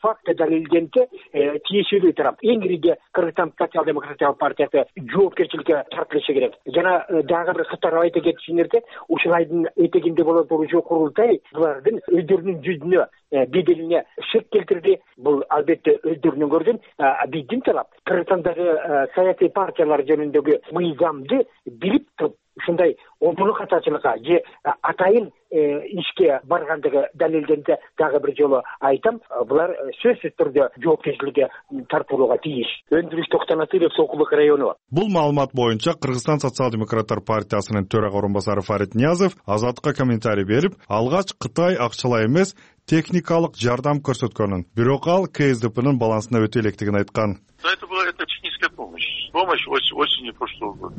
факт далилденсе, тиешелүү тарап эң ириде Кыргызстан социал-демократиялык партиясы жоопкерчиликке тартылышы керек. Жана дагы бир кытарып айта кетишиңерде, ушул айдын этегинде боло турчу курултай булардын өздөрүнүн жүзүнө беделине шек келтирди. Бул албетте өздөрүнүн көргөн биздин талап. Кыргызстандагы саясий партиялар жөнүндөгү мыйзамды билип туруп ушундай обуну катачылыкка же атайын ишке баргандыгы далилденсе дагы бир жолу айтам, булар сөзсүз түрдө жоопкерчиликке тартылууга тийиш. Өндүрүш Токтонасыров Сокулук району. Бул маалымат боюнча Кыргызстан социал-демократтар партиясынын төрага орун басары Фарид Ниязов Азаттыкка комментарий берип, алгач Кытай акчалай эмес техникалык жардам көрсөткөнүн, бирок ал КСДПнын балансына өтө электигин айткан. Это была это техническая помощь. Помощь осенью прошлого года.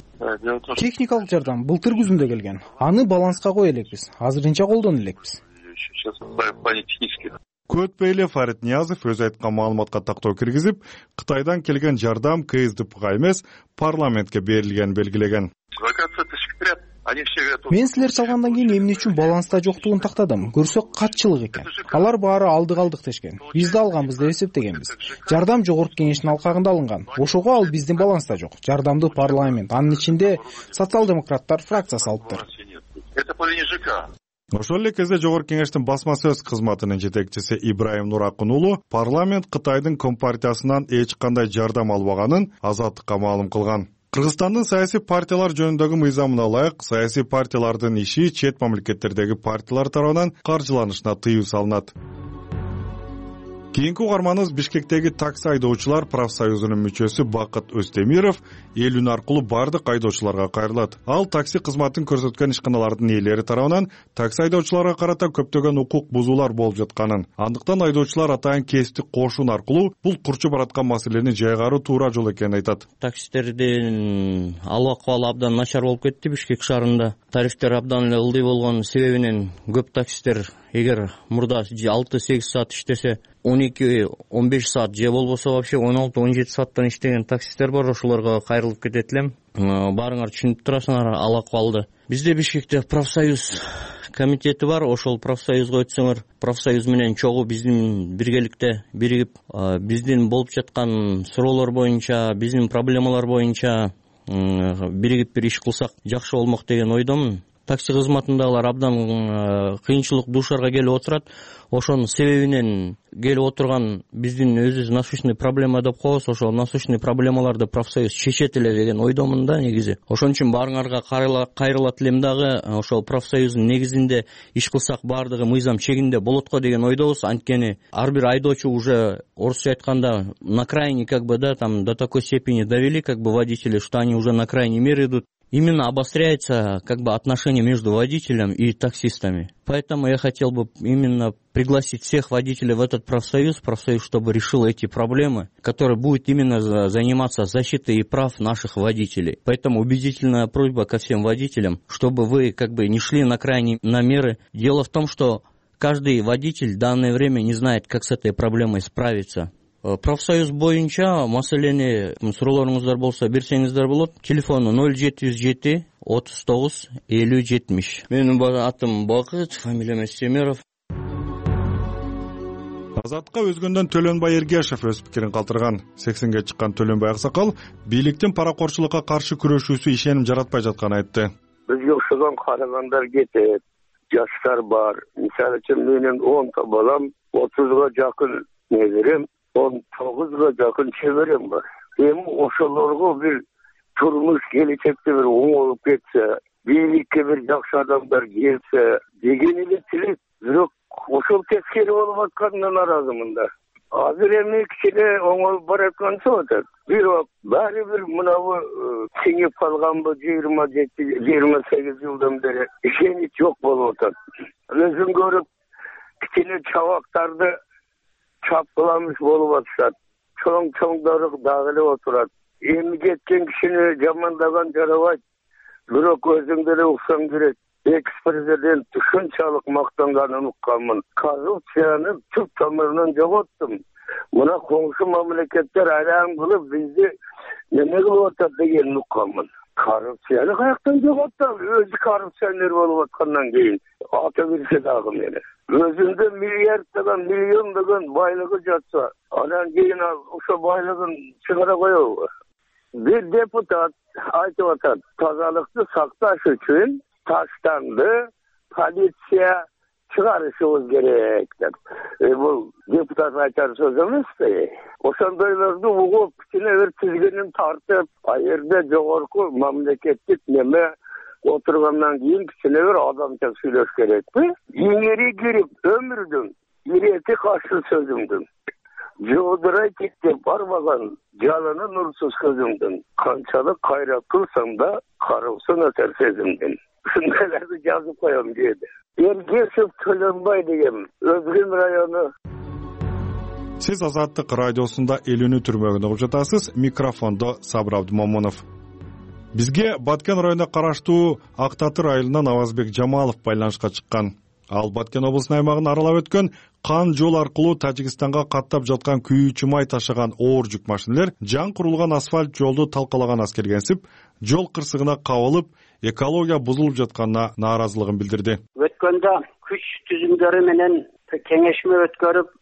Техникалык жардам былтыр күзүндө келген. Аны баланска кое элекпиз. Азырынча колдоно элекпиз. Сейчас в плане технических. Көтпөй эле Фарид Ниязов өз айткан маалыматка тактоо киргизип, Кытайдан келген жардам КСДПга эмес, парламентке берилгенин белгилеген. Мен силер чалгандан кийин эмне үчүн баланста жоктугун тактадым. Көрсөк катчылык экен. Алар баары алдык алдык дешкен. Биз да алганбыз деп эсептегенбиз. Жардам жогорку кеңештин алкагында алынган. Ошого ал биздин баланста жок. Жардамды парламент, анын ичинде социал-демократтар фракциясы алыптыр. Это по линии ЖК. Ошол эле кезде жогорку кеңештин басма сөз кызматынын жетекчиси Ибраим Нуракун уулу парламент Кытайдын компартиясынан эч кандай жардам албаганын Азаттыкка маалым кылган. Кыргызстандын саясий партиялар жөнүндөгү мыйзамына ылайык саясий партиялардын иши чет мамлекеттердеги партиялар тарабынан каржыланышына тыюу салынат. Кийинки угарманыбыз Бишкектеги такси айдоочулар профсоюзунун мүчөсү Бакыт Өстемиров эл үн аркылуу бардык айдоочуларга кайрылат. Ал такси кызматын көрсөткөн ишканалардын ээлери тарабынан такси айдоочуларга карата көптөгөн укук бузуулар болуп жатканын, андыктан айдоочулар атайын кесиптик кошун аркылуу бул курчуп бараткан маселени жайгаруу туура жол экенин айтат. Таксистердин ал акыбалы абдан начар болуп кетти Бишкек шаарында. Тарифтер абдан эле ылдый болгон себебинен көп таксистер эгер мурда алты сегиз саат иштесе, он эки он беш саат же болбосо вообще он алты он жети сааттан иштеген таксистер бар, ошолорго кайрылып кетет элем. Баарыңар түшүнүп турасыңар ал акыбалды. Бизде Бишкекте профсоюз комитети бар, ошол профсоюзга өтсөңөр, профсоюз менен чогуу биздин биргеликте биригип, биздин болуп жаткан суроолор боюнча, биздин проблемалар боюнча биригип бир иш кылсак жакшы болмок деген ойдомун. Такси кызматындагылар абдан кыйынчылык душарга келип отурат. Ошонун себебинен келип отурган биздин өзүбүз насущный проблема деп коебуз. Ошол насущный проблемаларды профсоюз чечет эле деген ойдомун да негизи. Ошон үчүн баарыңарга кайрылат элем дагы, ошол профсоюздун негизинде иш кылсак баардыгы мыйзам чегинде болот го деген ойдобуз. Анткени ар бир айдоочу уже орусча айтканда на крайне как бы да там до такой степени довели как бы водители, что они уже на крайней мере идут. Именно обостряется как бы отношение между водителем и таксистами. Поэтому я хотел бы именно пригласить всех водителей в этот профсоюз, профсоюз, чтобы решил эти проблемы, который будет именно заниматься защитой прав наших водителей. Поэтому убедительная просьба ко всем водителям, чтобы вы как бы не шли на крайние на меры. Дело в том, что каждый водитель в данное время не знает, как с этой проблемой справиться. Профсоюз боюнча маселени суроолоруңуздар болсо берсеңиздер болот. Телефону ноль жети жүз жети отуз тогуз элүү жетимиш. Менин атым Бакыт, фамилиям Өстемиров. Азаттыкка өзгөндөн Төлөнбай Эргешев өз пикирин калтырган. сексенге чыккан Төлөнбай аксакал бийликтин паракорчулукка каршы күрөшүүсү ишеним жаратпай жатканын айтты. Бизге окшогон карагандар кетет, жаштар бар. Мисалы үчүн менин онто балам, отузга жакын неберем, он тогузга жакын чеберем бар. Эми ошолорго бир турмуш келечекте бир оңолуп кетсе, бийликке бир жакшы адамдар келсе деген эле тилек. Бирок ошол тескери болуп атканына нааразымын да. Азыр эми кичине оңолуп бараткан атат. Бирок баары бир мынабу сиңип калганбы жыйырма жети жыйырма сегиз жылдан бери ишенич жок болуп атат. Өзүм көрүп кичине чабактарды чапкыламыш болуп атышат. Чоң-чоңдору дагы эле отурат. Эми кеткен кишини жамандаган жарабайт. Бирок өзүңдө эле уксаң керек. Экс-президент ушунчалык мактанганын укканмын. Коррупцияны түп тамырынан жоготтум. Мына коңшу мамлекеттер айран кылып бизди неме кылып атат дегенин укканмын. Коррупцияны каяктан жоготтам? Өзү коррупционер болуп аткандан кийин ата берсе дагы мени. Өзүндө миллиарддаган, миллиондогон байлыгы жатса, анан кийин ошо байлыгын чыгара коебу? Бир депутат айтып атат, тазалыкты сакташ үчүн таштанды, полиция чыгарышыбыз керек деп. Бул депутат айтар сөз эмеспи? Ошондойлорду угуп, кичине бир тизгинин тартып, а жерде жогорку мамлекеттик неме отургандан кийин кичине бир адамча сүйлөш керекпи? Иңири кирип өмүрдүн ирети каршы сөзүмдүн жоодурай тиктеп барбаган жалыны нурсуз көзүмдүн канчалык кайрат кылсаң да кароосун өтөр сезимдин. Ушундайларды жазып коем деди. Эргешев Төлөнбай деген Өзгөн району. Сиз Азаттык радиосунда элүүнү түрмөгүн угуп жатасыз. Микрофондо Сабыр Абдымомунов. Бизге Баткен районуна караштуу Ак Татыр айылынан Авазбек Жамалов байланышка чыккан. Ал Баткен облусунун аймагын аралап өткөн кан жол аркылуу Тажикстанга каттап жаткан күйүүчү май ташыган оор жүк машиналар жаңы курулган асфальт жолду талкалаган аскергенсип, жол кырсыгына кабылып, экология бузулуп жатканына нааразылыгын билдирди. Өткөндө күч түзүмдөрү менен кеңешме өткөрүп,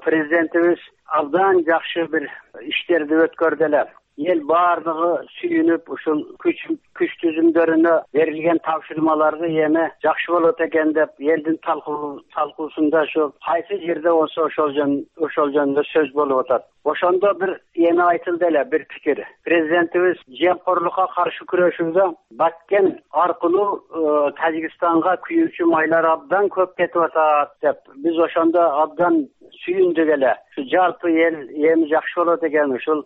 президентибиз абдан жакшы бир иштерди өткөрдү эле. Ел баардыгы сүйүнүп, ушул күч күч түзүмдөрүнө берилген тапшырмаларды эми жакшы болот экен деп, элдин талкуусунда ушу кайсы жерде болсо ошол жөн ошол жөнүндө сөз болуп атат. Ошондо бир эми айтылды эле бир пикир. Президентибиз жемкорлукка каршы күрөшүүдө Баткен аркылуу Тажикстанга күйүүчү майлар абдан көп кетип атат деп, биз ошондо абдан сүйүндүк эле. Ушу жалпы эл эми жакшы болот экен, ушул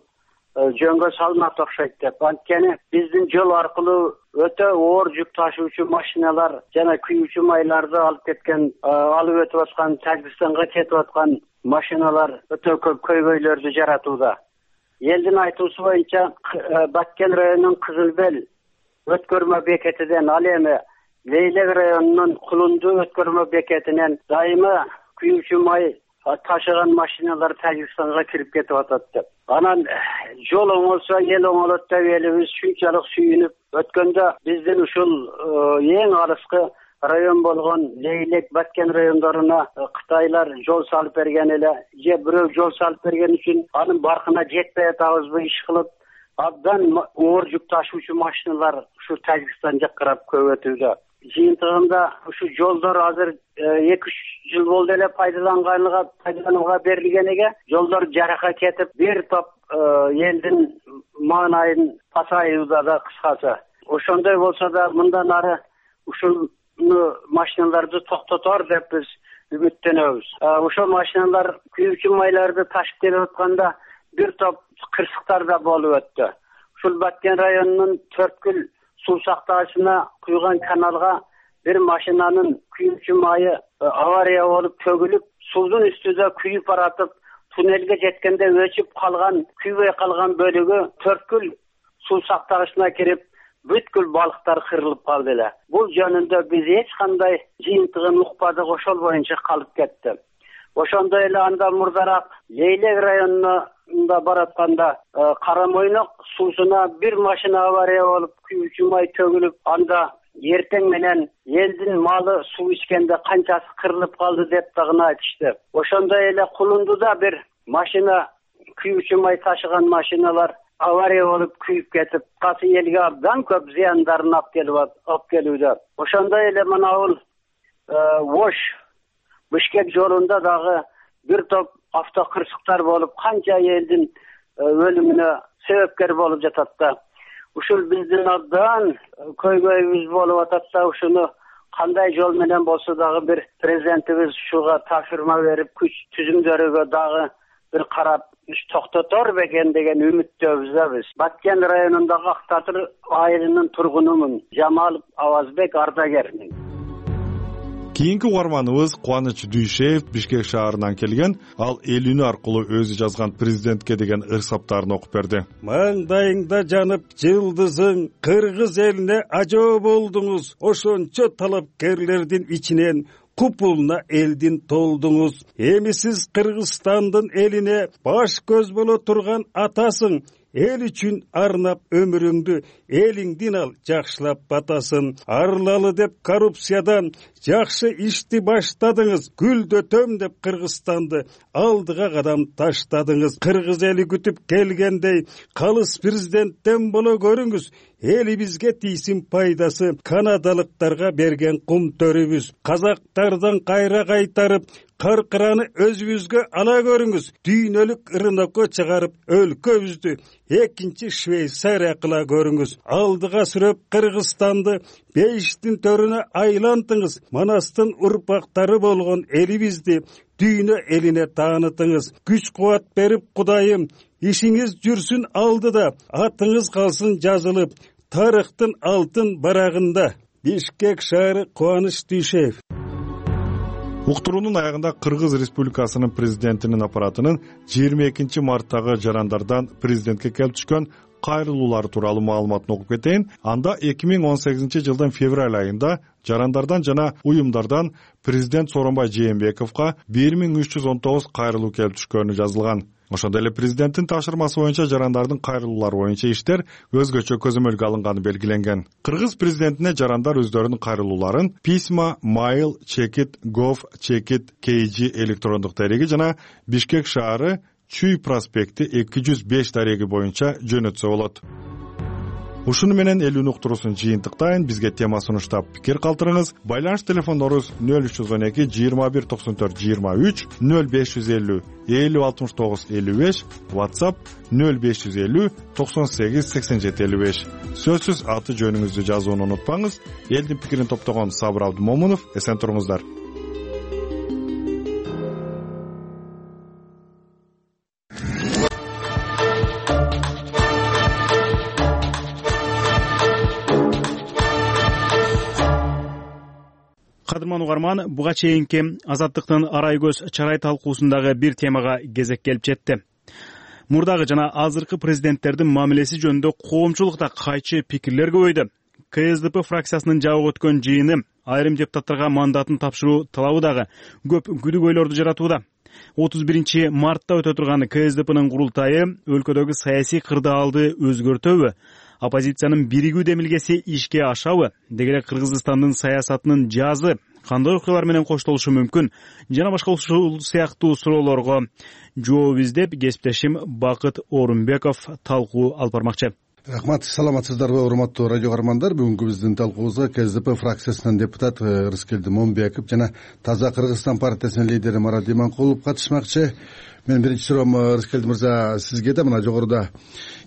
жөнгө салмак окшойт деп. Анткени биздин жол аркылуу өтө оор жүк ташуучу машиналар жана күйүүчү майларды алып кеткен, алып өтүп аткан, Тажикстанга кетип аткан машиналар өтө көп көйгөйлөрдү жаратууда. Элдин айтуусу боюнча Баткен районунун Кызылбел өткөрмө бекетиден, ал эми Лейлек районунун Кулунду өткөрмө бекетинен дайыма күйүүчү май ташыган машиналар Тажикстанга кирип кетип атат деп. Анан жол оңолсо эл оңолот деп элибиз шунчалык сүйүнүп, өткөндө биздин ушул эң алыскы район болгон Лейлек, Баткен райондоруна Кытайлар жол салып берген эле, же бирөө жол салып берген үчүн анын баркына жетпей атабызбы иш кылып, абдан оор жүк ташуучу машиналар ушу Тажикстан жаккарап көп өтүүдө. Жыйынтыгында ушу жолдор азыр эки үч жыл болду эле пайдаланганга пайдаланууга берилгениге, жолдор жарака кетип, бир топ элдин маанайын пасайууда да кыскасы. Ошондой болсо да мындан ары ушул машиналарды токтотор деп биз үмүттөнөбүз. Ошол машиналар күйүүчү майларды ташып келип атканда бир топ кырсыктар да болуп өттү. Ушул Баткен районунун Төрткүл суу сактагычына куйган каналга бир машинанын күйүүчү майы авария болуп төгүлүп, суудун үстүндө күйүп баратып, туннелге жеткенде өчүп калган, күйбөй калган бөлүгү Төрткүл суу сактагычына кирип, бүткүл балыктар кырылып калды эле. Бул жөнүндө биз эч кандай жыйынтыгын укпадык, ошол боюнча калып кетти. Ошондой эле андан мурдараак Лейлек районунда баратканда Карамойнок суусуна бир машина авария болуп, күйүүчү май төгүлүп, анда эртең менен элдин малы суу ичкенде канчасы кырылып калды деп дагы айтышты. Ошондой эле Кулундуда бир машина, күйүүчү май ташыган машиналар авария болуп күйүп кетип, касы элге абдан көп зыяндарын алып келип алып келүүдө. Ошондой эле манабул Ош Бишкек жолунда дагы бир топ автокырсыктар болуп, канча элдин өлүмүнө себепкер болуп жатат да. Ушул биздин абдан көйгөйүбүз болуп атат да, ушуну кандай жол менен болсо дагы бир президентибиз ушуга тапшырма берип, күч түзүмдөрүгө дагы бир карап, токтотор бекен деген үмүттөбүз да биз. Баткен районундагы Ак Татыр айылынын тургунумун. Жамалов Авазбек, ардагермин. Кийинки угарманыбыз Кубаныч Дүйшеев Бишкек шаарынан келген. Ал элүүнү аркылуу өзү жазган президентке деген ырсаптарын окуп берди. Маңдайыңда жанып жылдызың, кыргыз элине ажоо болдуңуз. Ошончо талапкерлердин ичинен купулуна элдин толдуңуз. Эми сиз Кыргызстандын элине баш көз боло турган атасың. эл үчүн арнап өмүрүңдү элиңдин ал жакшылап батасын. Арылалы деп коррупциядан жакшы ишти баштадыңыз. Гүлдөтөм деп Кыргызстанды алдыга кадам таштадыңыз. Кыргыз эли күтүп келгендей калыс президенттен боло көрүңүз. Элибизге тийсин пайдасы канадалыктарга берген кум төрүбүз. Казактардан кайра кайтарып каркыраны өзүбүзгө ала көрүңүз. Дүйнөлүк рынокко чыгарып өлкөбүздү экинчи Швейцария кыла көрүңүз. Алдыга сүрөп Кыргызстанды бейиштин төрүнө айлантыңыз. Манастын урпактары болгон элибизди дүйнө элине таанытыңыз. Күч кубат берип Кудайым, ишиңиз жүрсүн алдыда, атыңыз калсын жазылып тарыхтын алтын барагында. Бишкек шаары, Кубаныч Дүйшеев. Уктуруунун аягында Кыргыз Республикасынын президентинин аппаратынын жыйырма экинчи марттагы жарандардан президентке келип түшкөн кайрылуулары тууралуу маалыматын окуп кетейин. Анда эки миң он сегизинчи жылдын февраль айында жарандардан жана уюмдардан президент Сооронбай Жээнбековго бир миң үч жүз он тогуз кайрылуу келип түшкөнү жазылган. Ошондой эле президенттин тапшырмасы боюнча жарандардын кайрылуулары боюнча иштер өзгөчө көзөмөлгө алынганы белгиленген. Кыргыз президентине жарандар өздөрүнүн кайрылууларын письма, mail, chekit, gov, chekit, kg электрондук дареги жана Бишкек шаары Чүй проспекти эки жүз беш дареги боюнча жөнөтсө болот. Ушуну менен элүүнү уктуруусун жыйынтыктайын. Бизге тема сунуштап пикир калтырыңыз. Байланыш телефондорубуз нөл үч жүз он эки жыйырма бир токсон төрт жыйырма үч, нөл беш жүз элүү элүү алтымыш тогуз элүү беш, WhatsApp нөл беш жүз элүү токсон сегиз сексен жети элүү беш. Сөзсүз аты жөнүңүздү жазууну унутпаңыз. Элдин пикирин топтогон Сабыр Абдымомунов, эсен туруңуздар. Кадырман угарман, буга чейинки Азаттыктын арай көз чарай талкуусундагы бир темага кезек келип жетти. Мурдагы жана азыркы президенттердин мамилеси жөнүндө коомчулукта кайчы пикирлер көбөйдү. КСДП фракциясынын жабык өткөн жыйыны айрым депутаттарга мандатын тапшыруу талабы дагы көп күдүгөйлөрдү жаратууда. отуз биринчи мартта өтө турган КСДПнын курултайы өлкөдөгү саясий кырдаалды өзгөртөбү, оппозициянын биригүү демилгеси ишке ашабы, деги эле Кыргызстандын саясатынын жазы кандай окуялар менен коштолушу мүмкүн жана башка ушул сыяктуу суроолорго жооп издеп кесиптешим Бакыт Орунбеков талкуу алып бармакчы. Рахмат, саламатсыздарбы урматтуу радио каармандар. Бүгүнкү биздин талкуубузга КСДП фракциясынан депутат Рыскелди Момбеков жана Таза Кыргызстан партиясынын лидери Марат Иманкулов катышмакчы. Мен биринчи суроом Рыскелди мырза сизге да. Мына жогоруда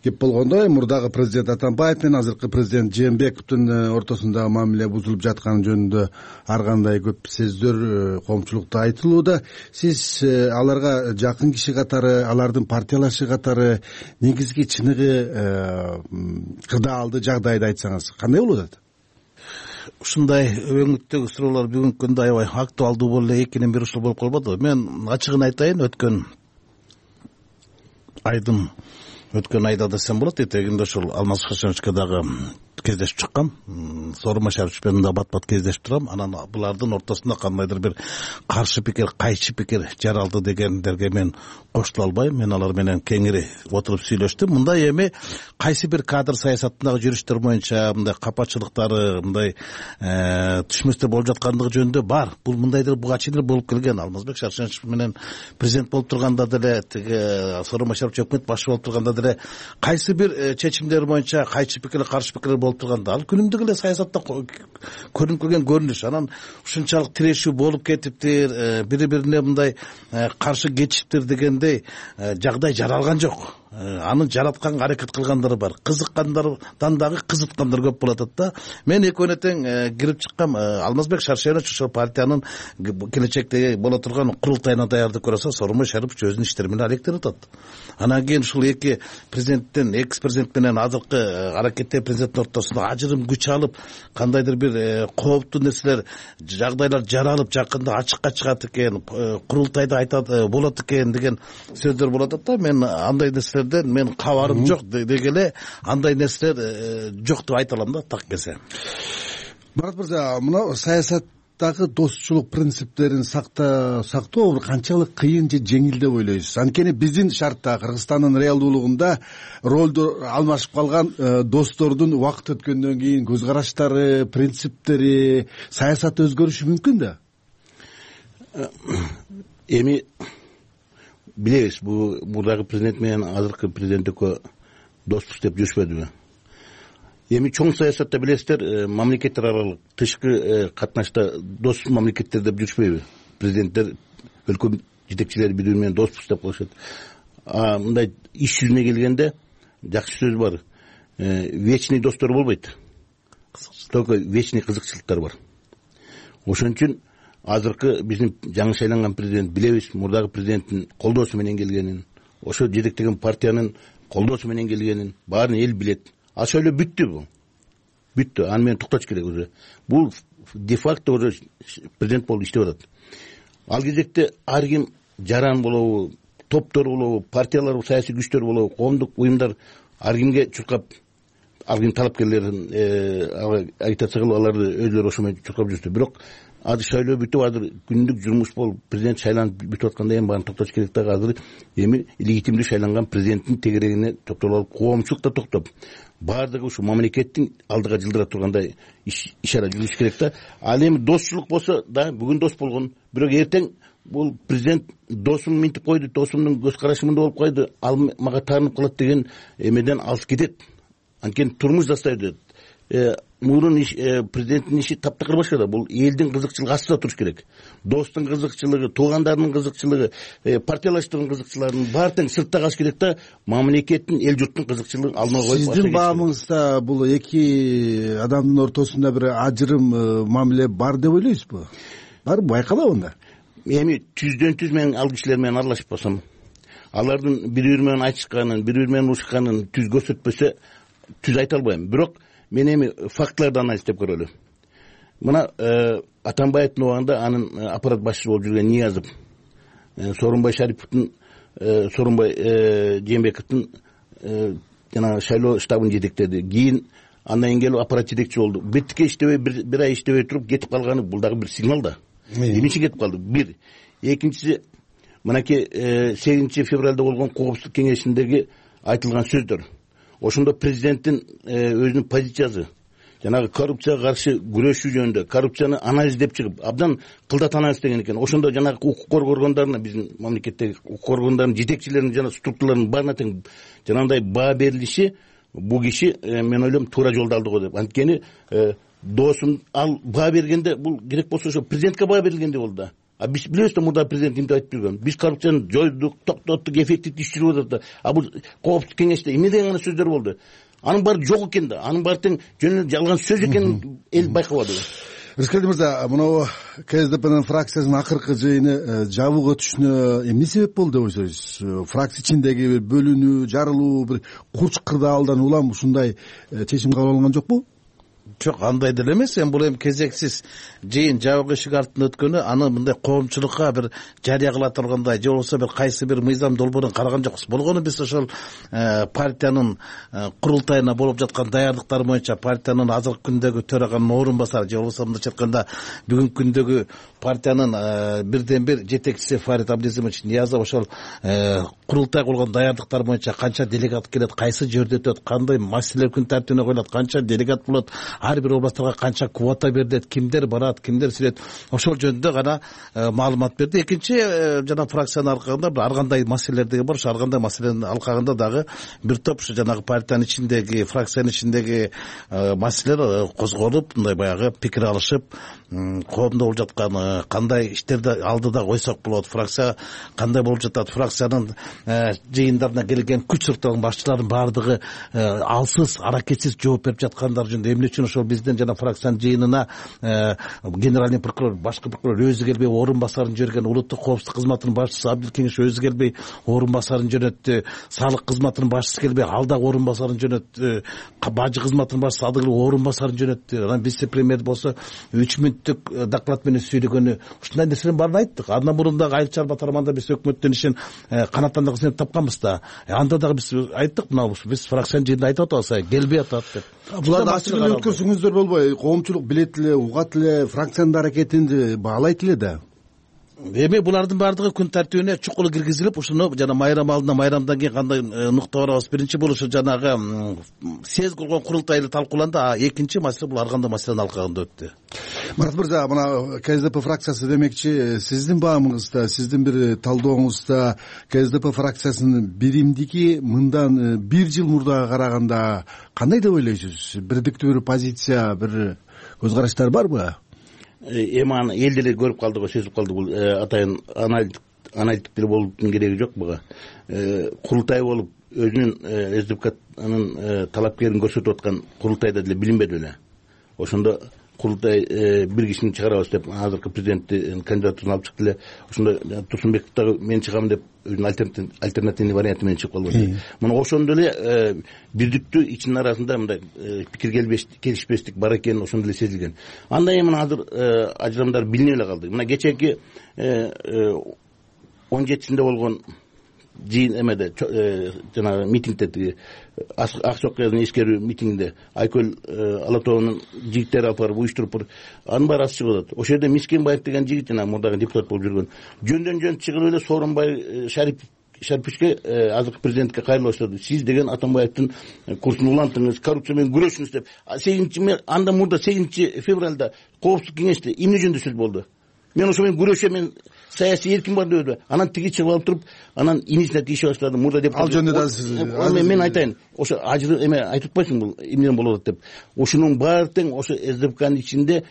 кеп болгондой, мурдагы президент Атамбаев менен азыркы президент Жээнбековдун ортосунда мамиле бузулуп жатканы жөнүндө ар кандай көп сөздөр коомчулукта айтылууда. Сиз аларга жакын киши катары, алардын партиялашы катары негизги чыныгы кырдаалды жагдайды айтсаңыз кандай болуп атат? Ушундай өңүттөгү суроолор бүгүнкү күндө аябай актуалдуу болуп эле экинин бири ушул болуп калбадыбы? Мен ачыгын айтайын, өткөн айдын өткөн айда десем болот, этегинде ушул Алмаз Хашановичке дагы кездешип чыккам. Сооронбай Шарипович менен да бат-бат кездешип турам. Анан булардын ортосунда кандайдыр бир каршы пикир, кайчы пикир жаралды дегендерге мен кошула албайм. Мен алар менен кеңири отуруп сүйлөштүм. Мындай эми кайсы бир кадр саясатындагы жүрүштөр боюнча мындай капачылыктары, мындай түшмөстөр болуп жаткандыгы жөнүндө бар. Бул мындайдыр буга чейин болуп келген. Алмазбек Шаршенович менен президент болуп турганда деле, тиги Сооронбай Шарипович өкмөт башы болуп турганда деле кайсы бир чечимдер боюнча кайчы пикир, каршы пикир болуп турганда ал күнүмдүк эле саясатта көрүнүп келген көрүнүш. Анан ушунчалык тирешүү болуп кетиптир, бири бирине мындай каршы кечиптир дегендей жагдай жаралган жок. Аны жаратканга аракет кылгандары бар. Кызыккандардан дагы кызыткандар көп болуп атат да. Мен экөөнө тең кирип чыккам. Алмазбек Шаршенович ошол партиянын келечектеги боло турган курултайына даярдык көрөсө, Сооронбай Шарипович өзүнүн иштери менен алектенип атат. Анан кийин ушул эки президенттен, экс президент менен азыркы аракеттеги президенттин ортосунда ажырым күч алып, кандайдыр бир кооптуу нерселер, жагдайлар жаралып, жакында ачыкка чыгат экен, курултайда айтат болот экен деген сөздөр болуп атат да. Мен андай нерселер мен кабарым жок деги эле андай нерселер жок деп айта алам да, так келсе. Марат мырза, мына саясат дагы достчулук принциптерин сактоо канчалык кыйын же жеңил деп ойлойсуз? Анткени биздин шартта, Кыргызстандын реалдуулугунда ролду алмашып калган достордун убакыт өткөндөн кийин көз караштары, принциптери, саясаты өзгөрүшү мүмкүн да. Эми билебиз, бул мурдагы президент менен азыркы президент экөө доспуз деп жүрүшпөдүбү? Эми чоң саясатта билесиздер, мамлекеттер аралык тышкы катнашта дос мамлекеттер деп жүрүшпөйбү? Президенттер, өлкө жетекчилери бири бири менен доспуз деп коюшат. А мындай иш жүзүнө келгенде жакшы сөз бар. Вечный достор болбойт. Только вечный кызыкчылыктар бар. Ошон үчүн азыркы биздин жаңы шайланган президент билебиз, мурдагы президенттин колдоосу менен келгенин, ошо жетектеген партиянын колдоосу менен келгенин баарын эл билет. А шөйлө бүттү бул. Бүттү. Аны менен токтош керек уже. Бул де-факто уже президент болуп иштеп атат. Ал кезекте ар ким жаран болобу, топтор болобу, партиялар, саясий күчтөр болобу, коомдук уюмдар ар кимге чуркап, ар ким талапкерлерин агитация кылып аларды өзүлөрү ошо менен чуркап жүрүштү. Бирок азыр шайлоо бүтүп, азыр күндүк жумуш болуп, президент шайланып бүтүп атканда эми баарын токтош керек да. Азыр эми легитимдүү шайланган президенттин тегерегине токтолуп алып, коомчулук да токтоп, баардыгы ушу мамлекеттин алдыга жылдыра тургандай иш-ара жүрүш керек да. Ал эми достчулук болсо да, бүгүн дос болгон, бирок эртең бул президент досум минтип койду, досумдун көз карашы мындай болуп койду, ал мага таанып калат деген эмеден алыс кетет. Анткени турмуш застай өтөт. Мурун президенттин иши таптакыр башка. Бул элдин кызыкчылыгы астында туруш керек. Достун кызыкчылыгы, туугандарынын кызыкчылыгы, партиялаштардын кызыкчылыгын баары тең сыртта калыш керек да, мамлекеттин, эл журттун кызыкчылыгын алдына коюп. Сиздин баамыңызда бул эки адамдын ортосунда бир ажырым мамиле бар деп ойлойсузбу? Барбы, байкалабы анда? Эми түздөн түз мен ал кишилер менен аралашып калсам, алардын бири бири менен айтышканын, бири бири менен урушканын түз көрсөтпөсө түз айта албайм. Бирок мен эми фактыларды анализдеп көрөлү. Мына Атамбаевдин убагында анын аппарат башчысы болуп жүргөн Ниязов, Сооронбай Шариповдун, Сооронбай Жээнбековдун жана шайлоо штабын жетектеди. Кийин андан кийин келип аппарат жетекчи болду. Беттикке иштебей, бир ай иштебей туруп кетип калганы бул дагы бир сигнал да. Эмне үчүн кетип калды? Бир. Экинчиси, мынакей сегизинчи февралда болгон коопсуздук кеңешиндеги айтылган сөздөр. Ошондо президенттин өзүнүн позициясы, жанагы коррупцияга каршы күрөшүү жөнүндө, коррупцияны анализдеп чыгып, абдан кылдат анализ деген экен. Ошондо жанагы укук коргоо органдарына, биздин мамлекеттеги укук коргоо органдарынын жетекчилеринин жана структураларынын баарына тең жанагындай баа берилиши, бул киши мен ойлойм туура жолду алды го деп. Анткени досун ал баа бергенде, бул керек болсо ошо президентке баа берилгендей болду да. А биз билебиз да, мурда президент эмне айтып жүргөн. Биз коррупцияны жойдук, токтоттук, эффективдүү иш жүрүп атат да. А бул коопсуздук кеңеште эмне деген гана сөздөр болду? Анын баары жок экен да. Анын баары тең жөн эле жалган сөз экенин эл байкабады. Рыскелди мырза, мына КСДПнын фракциясынын акыркы жыйыны жабык өтүшүнө эмне себеп болду деп ойлойсуз? Фракция ичиндеги бир бөлүнүү, жарылуу, бир курч кырдаалдан улам ушундай чечим кабыл алынган жокпу? Жок, андай деле эмес. Эми бул эми кезексиз жыйын жабык эшик артында өткөнү, аны мындай коомчулукка бир жарыя кыла тургандай, же болбосо бир кайсы бир мыйзам долбоорун караган жокпуз. Болгону биз ошол партиянын курултайына болуп жаткан даярдыктар боюнча партиянын азыркы күндөгү төраганын орун басары, же болбосо мындайча айтканда бүгүнкү күндөгү партиянын бирден бир жетекчиси Фарид Абдизимович Ниязов ошол курултайга болгон даярдыктар боюнча канча делегат келет, кайсы жерде өтөт, кандай маселелер күн тартибине коюлат, канча делегат болот, ар бир областтарга канча квота берилет, кимдер барат, кимдер сирет, ошол жөнүндө гана маалымат берди. Экинчи, жана фракциянын алкагында ар кандай маселелер деген бар. Ошо ар кандай маселенин алкагында дагы бир топ ушу жанагы партиянын ичиндеги, фракциянын ичиндеги маселелер козголуп, мындай баягы пикир алышып, коомдо болуп жаткан кандай иштерди алдыда койсок болот, фракция кандай болуп жатат, фракциянын жыйындарына келген күч структураларынын башчыларынын баардыгы алсыз, аракетсиз жооп берип жаткандар жөнүндө, эмне үчүн ошол биздин жана фракциянын жыйынына генеральный прокурор, башкы прокурор өзү келбей орун басарын жиберген, улуттук коопсуздук кызматынын башчысы Абдилкеңиш өзү келбей орун басарын жөнөттү, салык кызматынын башчысы келбей ал да орун басарын жөнөттү, бажы кызматынын башчысы ады келип орун басарын жөнөттү, анан вице премьер болсо үч мүнөттүк доклад менен сүйлөгөнү, ушундай нерселердин баарын айттык. Андан мурун дагы Айыл чарба тармагында биз өкмөттөн ишин канаттан дагы сынеп тапканбыз да. Анда дагы биз айттык, мына биз фракциянын жыйынында айтып атабыз, келбей атат деп. Буларды ачык эле көрсөңүздөр болбойбу? Коомчулук билет эле, угат эле, фракциянын аракетин баалайт эле да. Эми булардын баардыгы күн тартибине чукул киргизилип, ушуну жана майрам алдында, майрамдан кийин кандай нукта барабыз? Биринчи болушу жанагы съезд кылган курултайда талкууланды, а экинчи маселе бул ар кандай маселенин алкагында өттү. Марат мырза, мына КСДП фракциясы демекчи, сиздин баамыңызда, сиздин бир талдооңузда КСДП фракциясынын биримдиги мындан бир жыл мурдага караганда кандай деп ойлойсуз? Бирдиктүү бир позиция, бир көз караштар барбы? Эми аны эл деле көрүп калды го, сезип калды. Бул атайын аналитик деле болуптун кереги жок буга. Курултай болуп өзүнүн СДПКнын талапкерин көрсөтүп аткан курултайда деле билинбеди беле. Ошондо курултай бир кишини чыгарабыз деп азыркы президенттин кандидатурун алып чыкты эле. Ошондо Турсунбеков дагы мен чыгам деп өзүнүн альтернативный варианты менен чыгып калды. Мына ошондо эле бирдиктүү ичинин арасында мындай пикир келишпестик бар экени ошондо эле сезилген. Анда эми азыр ажырамдар билине эле калды. Мына кечээки он жетисинде болгон жыйын эмеде жанагы митингде, ак чокказдын эскерүү митингинде Айкөл Алатоонун жигиттери алып барып уюштуруп, анын баары ачык болот. Ошол жерде Мискенбаев деген жигит жана мурдагы депутат болуп жүргөн жөндөн жөн чыгып эле Сооронбай Шарип Шарипичке азыркы президентке кайрылып баштады. Сиз деген Атамбаевдин курсун улантыңыз, коррупция менен күрөшүңүз деп. сегизинчи анда мурда сегизинчи февралда коопсуздук кеңеште эмне жөнүндө сөз болду? Мен ошо менен күрөшөм, мен саясий эркин бар дебеди. Анан тиги чыгып алып туруп, анан инисине тийише баштады. Мурда деп ал жөнүндө да сиз мен айтайын. Ошо ажыр эме айтып атпайсың бул эмнеден болот деп. Ошонун баары тең ошо СДПКнын ичинде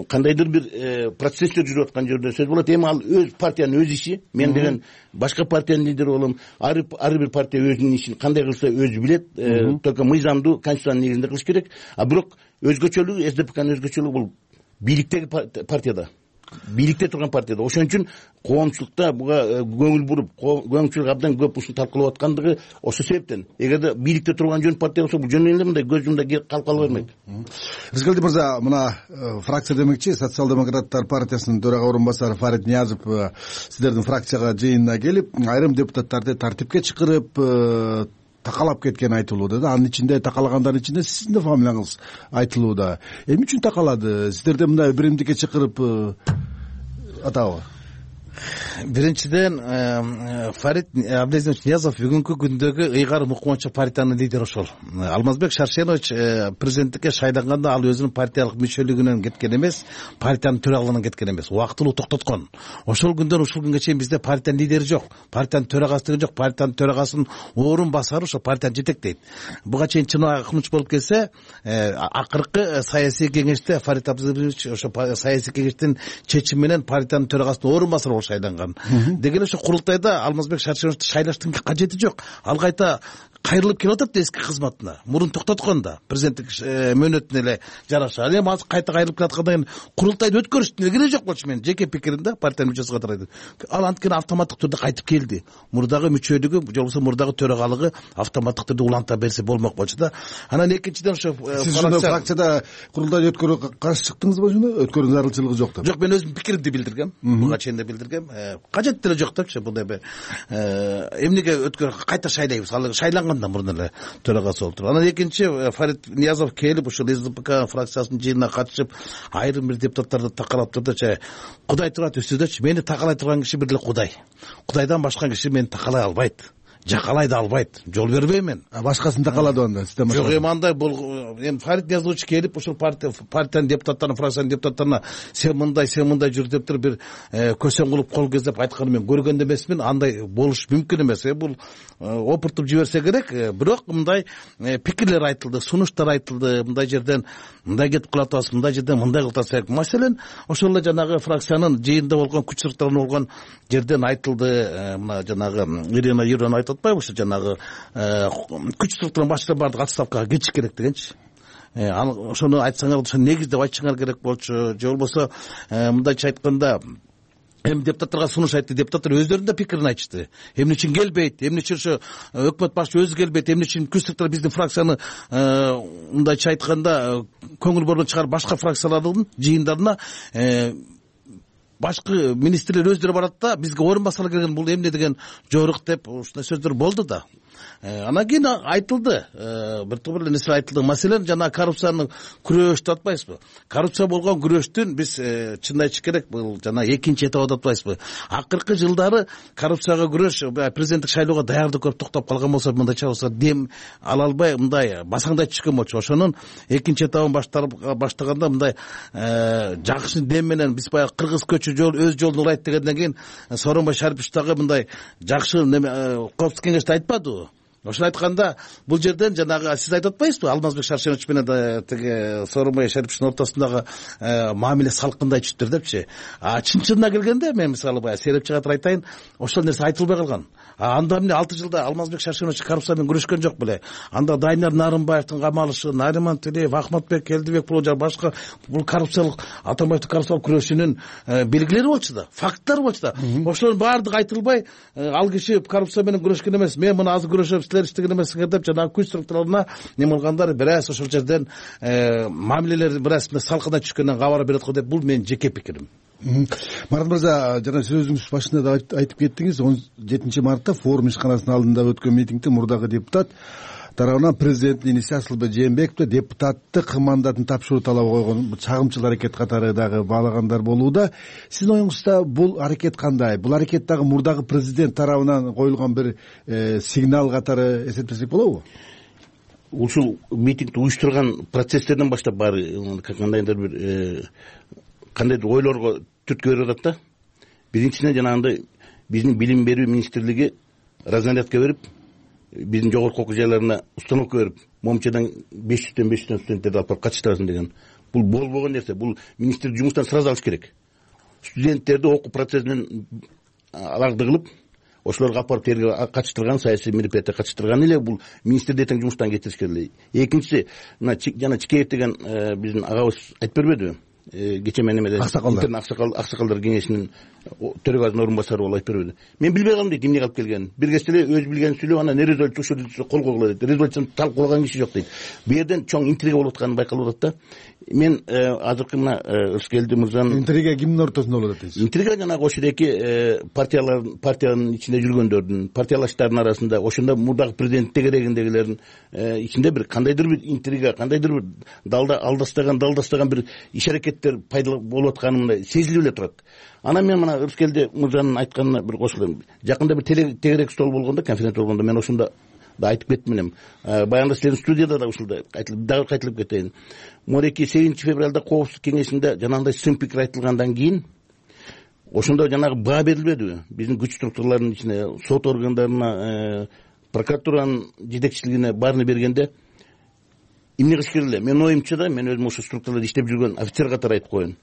кандайдыр бир процесстер жүрүп аткан жерде сөз болот. Эми ал өз партиянын өз иши. Мен деген башка партиянын лидери болом. Ар бир партия өзүнүн ишин кандай кылса өзү билет. Только мыйзамдуу конституциянын негизинде кылыш керек. А бирок өзгөчөлүгү СДПКнын өзгөчөлүгү бул бийликтеги партияда. Бийликте турган партияда. Ошон үчүн коомчулукта буга көңүл буруп, коомчулук абдан көп ушуну талкуулап аткандыгы ошол себептен. Эгерде бийликте турган жөн партия болсо, бул жөн эле мындай көз жумда калып кала бермейт. Рыскелди мырза, мына фракция демекчи Социал-демократтар партиясынын төрага орун басары Фарид Ниязов сиздердин фракцияга жыйынына келип, айрым депутаттарды тартипке чакырып такалап кеткени айтылууда да. Анын ичинде такалагандардын ичинде сиздин да фамилияңыз айтылууда. Эмне үчүн такалады? Сиздерде мындай биримдикке чакырып атабы? Биринчиден, Фарид Абдулазизович Ниязов бүгүнкү күндөгү ыйгарым укмачы партиянын лидери ошол. Алмазбек Шаршенович президенттикке шайланганда ал өзүнүн партиялык мүчөлүгүнөн кеткен эмес, партиянын төрагалыгынан кеткен эмес, убактылуу токтоткон. Ошол күндөн ушул күнгө чейин бизде партиянын лидери жок, партиянын төрагасы деген жок, партиянын төрагасынын орун басары ошо партияны жетектейт. Буга чейин чын акмыч болуп келсе, акыркы саясий кеңеште Фарид Абдулазизович ошо саясий кеңештин чечими менен партиянын төрагасынын орун басары шайланган. Деген ошо курултайда Алмазбек Шаршеновичти шайлаштын кажети жок. Ал кайта кайрылып келип атат эски кызматына. Мурун токтоткон да президенттик мөөнөтүнө эле жараша. Ал эми азыр кайта кайрылып келаткандан кийин курултайды өткөрүштүн кереги жок болчу. Менин жеке пикиримде партиянын мүчөсү катары айтат. Ал анткени автоматтык түрдө кайтып келди. Мурдагы мүчөлүгү, же болбосо мурдагы төрагалыгы автоматтык түрдө уланта берсе болмок болчу да. Анан экинчиден ошо фракцияда курултайды өткөрүүгө каршы чыктыңызбы ошондо? Өткөрүү зарылчылыгы жок деп. Жок, мен өзүмдүн пикиримди билдиргем. Буга чейин да билдиргем. Кажет деле жок депчи, мындай бир эмнеге өткөрүп кайта шайлайбыз? Ал шайлангандан мурун эле төрагасы болуп туруп. Анан экинчи Фарид Ниязов келип ушул СДПК фракциясынын жыйынына катышып, айрым бир депутаттарды такалап турдучу, Кудай турат үстүдөчү. Мени такалай турган киши бир эле Кудай. Кудайдан башка киши мени такалай албайт. Жакалай да албайт. Жол бербейм мен. Башкасын такалады анда. Жок, эми андай бул эми Фарид Ниязович келип ушул партия партиянын депутаттарына, фракциянын депутаттарына сен мындай, сен мындай жүр деп туруп бир көсөң кылып кол кездеп айтканын мен көргөн да эмесмин. Андай болуш мүмкүн эмес. Бул опуртуп жиберсе керек. Бирок мындай пикирлер айтылды, сунуштар айтылды. Мындай жерден мындай кетип калат атабыз, мындай жерден мындай кылып атсак. Маселен ошол эле жанагы фракциянын жыйында болгон күч сырттарында болгон жерден айтылды. Мына жанагы Ирина Юрьевна айтып атпайбы, ошо жанагы күч структуранын башчылары баардык отставкага кетиш керек дегенчи. Ошону айтсаңар, ошо негиздеп айтышыңар керек болчу. Же болбосо мындайча айтканда, эми депутаттарга сунуш айтты, депутаттар өздөрүнүн да пикирин айтышты. Эмне үчүн келбейт, эмне үчүн ошо өкмөт башчы өзү келбейт, эмне үчүн күч структура биздин фракцияны мындайча айтканда көңүл буруудан чыгарып башка фракциялардын жыйындарына башкы министрлер өздөрү барат да, бизге орун басары келген, бул эмне деген жорук деп ушундай сөздөр болду да. Анан кийин айтылды, бир топ эле нерсе айтылды. Маселен жана коррупцияны күрөш деп атпайсызбы? Коррупция болгон күрөштүн биз чын айтыш керек, бул жана экинчи этап деп атпайсызбы? Акыркы жылдары коррупцияга күрөш президенттик шайлоого даярдык көрүп токтоп калган болсо, мындайча болсо дем ала албай мындай басаңдай түшкөн болчу. Ошонун экинчи этабын баштаганда мындай жакшы дем менен биз баягы кыргыз көчү жол өз жолун урайт дегенден кийин Сооронбай Шарипович дагы мындай жакшы коопсуздук кеңеште айтпадыбы? Ошону айтканда бул жерден жанагы сиз айтып атпайсызбы, Алмазбек Шаршенович менен тиги Сооронбай Шариповичтин ортосундагы мамиле салкындай түштүр депчи. А чын чынына келгенде мен мисалы баягы серепчи катары айтайын, ошол нерсе айтылбай калган. Анда эмне алты жылда Алмазбек Шаршенович коррупция менен күрөшкөн жок беле? Анда Дайнар Нарымбаевдин камалышы, Нариман Тилеев, Ахматбек Келдибек боло жана башка бул коррупциялык Атамбаевдин коррупциялык күрөшүнүн белгилери болчу да, факттар болчу да. Ошолордун баардыгы айтылбай, ал киши коррупция менен күрөшкөн эмес, мен мына азыр күрөшөм, силер иштеген эмессиңер деп жанагы күч структураларына неме кылгандар бир аз ошол жерден мамилелер бир аз салкындай түшкөндөн кабар берет го деп, бул менин жеке пикирим. Марат мырза, жана сөзүңүз башында да айтып кеттиңиз, он жетинчи мартта форум ишканасынын алдында өткөн митингде мурдагы депутат тарабынан президенттин иниси Асылбек Жээнбековду депутаттык мандатын тапшыруу талабы койгон чагымчыл аракет катары дагы баалагандар болууда. Сиздин оюңузда бул аракет кандай? Бул аракет дагы мурдагы президент тарабынан коюлган бир сигнал катары эсептесек болобу? Ушул митингди уюштурган процесстерден баштап баары кандайдыр бир кандайдыр ойлорго түрткү берип атат да. Биринчиден жанагындай биздин билим берүү министрлиги разнарядка берип, биздин жогорку окуу жайларына установка берип, момчадан беш жүздөн беш жүздөн студенттерди алып барып катыштырасың деген. Бул болбогон нерсе. Бул министрлик жумуштан сразу алыш керек. Студенттерди окуу процессинен аларды кылып, ошолорго алып барып терге катыштырган, саясий мероприятия катыштырган эле бул министрди этең жумуштан кетириш керек. Экинчиси, мына жана Чикеев деген биздин агабыз айтып бербедиби? Кече мен эмеде аксакал аксакалдар кеңешинин төрөгасынын орун басары болуп айтып бербеди. Мен билбей калдым дейт, эмне калып келгенин. Бир кезде эле өзү билгенин сүйлөп, анан не резолюция ушул кол койгула дейт. Резолюцияны талкуулаган киши жок дейт. Бу жерден чоң интрига болуп атканы байкалып атат да. Мен азыркы мына Рыскелди мырзанын интрига кимдин ортосунда болот дейсиз? Интрига жанагы ошол эки партиялар, партиянын ичинде жүргөндөрдүн, партиялаштардын арасында, ошондо мурдагы президентте керегиндегилердин ичинде бир кандайдыр бир интрига, кандайдыр бир далда алдастаган, далдастаган бир иш аракеттер пайда болуп атканы мындай сезилип эле турат. Анан мен мына Рыскелди мырзанын айтканына бир кошулайм. Жакында бир тегерек стол болгондо, конференция болгондо мен ошондо да айтып кеттим элем. Баягында силердин студияда да ушулда айтылып, дагы кайтылып кетейин. Мореки сегизинчи февралда коопсуздук кеңешинде жанагындай сын пикир айтылгандан кийин ошондо жанагы баа берилбедиби? Биздин күч структураларынын ичине, сот органдарына, прокуратуранын жетекчилигине баарына бергенде эмне кылыш керек эле? Менин оюмча да, мен өзүм ошо структураларда иштеп жүргөн офицер катары айтып коеюн.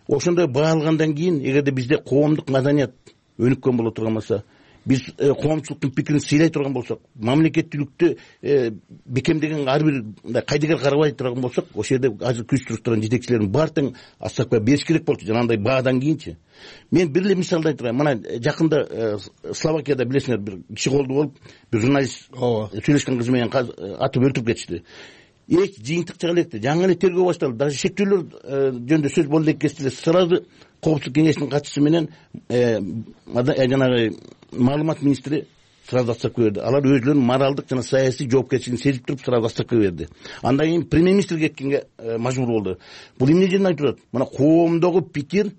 Ошондой баа алгандан кийин, эгерде бизде коомдук маданият өнүккөн боло турган болсо, биз коомчулуктун пикирин сыйлай турган болсок, мамлекеттүүлүктү бекемдеген ар бир мындай кайдыгер карабай турган болсок, ошол жерде азыр күч структуранын жетекчилерин баары тең астакпай бериш керек болчу жанагындай баадан кийинчи. Мен бир эле мисалды айтайын. Мына жакында Словакияда билесиңер, бир киши колду болуп, бир журналист сүйлөшкөн кызы менен атып өлтүрүп кетишти. Эч жыйынтык чыга электи. Жаңы эле тергөө башталды. Даже шектүүлөр жөнүндө сөз болду элек кезде сразу коопсуздук кеңешинин катчысы менен жанагы маалымат министри сразу отставка берди. Алар өзлөрүнүн моралдык жана саясий жоопкерчилигин сезип туруп сразу отставка берди. Андан кийин премьер-министр кеткенге мажбур болду. Бул эмне жерден айтып атат? Мына коомдогу пикир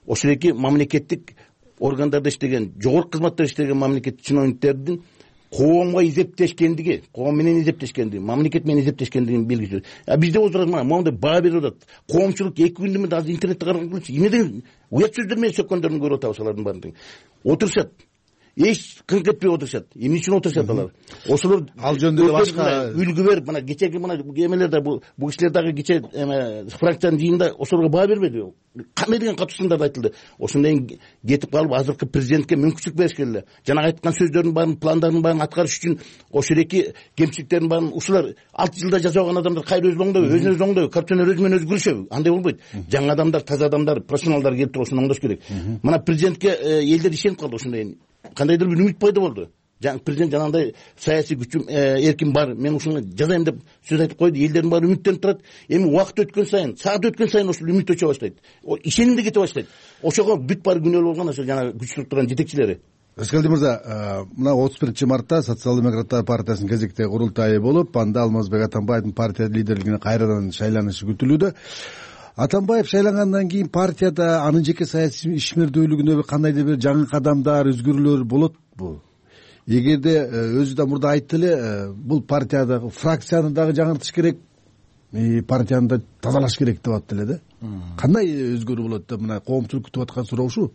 ошол эки мамлекеттик органдарда иштеген, жогорку кызматта иштеген мамлекеттик чиновниктердин коомго изептешкендиги, коом менен изептешкендиги, мамлекет менен изептешкендигинин белгиси. А бизде отурат мына моундай баа берип атат. Коомчулук эки күндө мен азыр интернетте караган көрчү. Эмне деген уят сөздөр менен сөккөндөрүн көрүп атабыз алардын баарын. Отурушат. Эч кыңк этпей отурушат. Эмне үчүн отурушат алар? Ошолор ал жөнүндө башка үлгү берип, мына кечеги мына эмелерде бул бу кишилер дагы кече фракциянын жыйынында ошолорго баа бербеди. Кандай деген катуу сындар айтылды. Ошондон кийин кетип калып азыркы президентке мүмкүнчүлүк бериш керек. Жанагы айткан сөздөрдүн баарын, пландардын баарын аткарыш үчүн ошол эки кемчиликтердин баарын ушулар алты жылда жасаган адамдар кайра өзү оңдойбу, өзүн өзү оңдойбу, коррупционер өзү менен өзү күрөшөбү? Андай болбойт. Жаңы адамдар, таза адамдар, профессионалдар келип туруп ошону оңдош керек. Мына президентке элдер ишенип калды ошондой. Кандайдыр бир үмүт пайда болду. Президент жанагындай саясий күчүм, эрким бар, мен ушуну жазайм деп сөз айтып койду. Элдердин баары үмүттөнүп турат. Эми убакыт өткөн сайын, саат өткөн сайын ошол үмүт өчө баштайт. Ишеним да кете баштайт. Ошого бүт баары күнөөлүү болгон ошо жанагы күч структуранын жетекчилери. Рыскелди мырза, мына отуз биринчи мартта Социал демократтар партиясынын кезектеги курултайы болуп, анда Алмазбек Атамбаевдин партия лидерлигине кайрадан шайланышы күтүлүүдө. Атамбаев шайлангандан кийин партияда анын жеке саясий ишмердүүлүгүнө кандайдыр бир жаңы кадамдар, өзгөрүүлөр болотпу? Эгерде өзү да мурда айтты эле, бул партиядагы фракцияны дагы жаңыртыш керек, партияны да тазалаш керек деп атты эле да. Кандай өзгөрүү болот деп мына коомчулук күтүп аткан суроо ушу.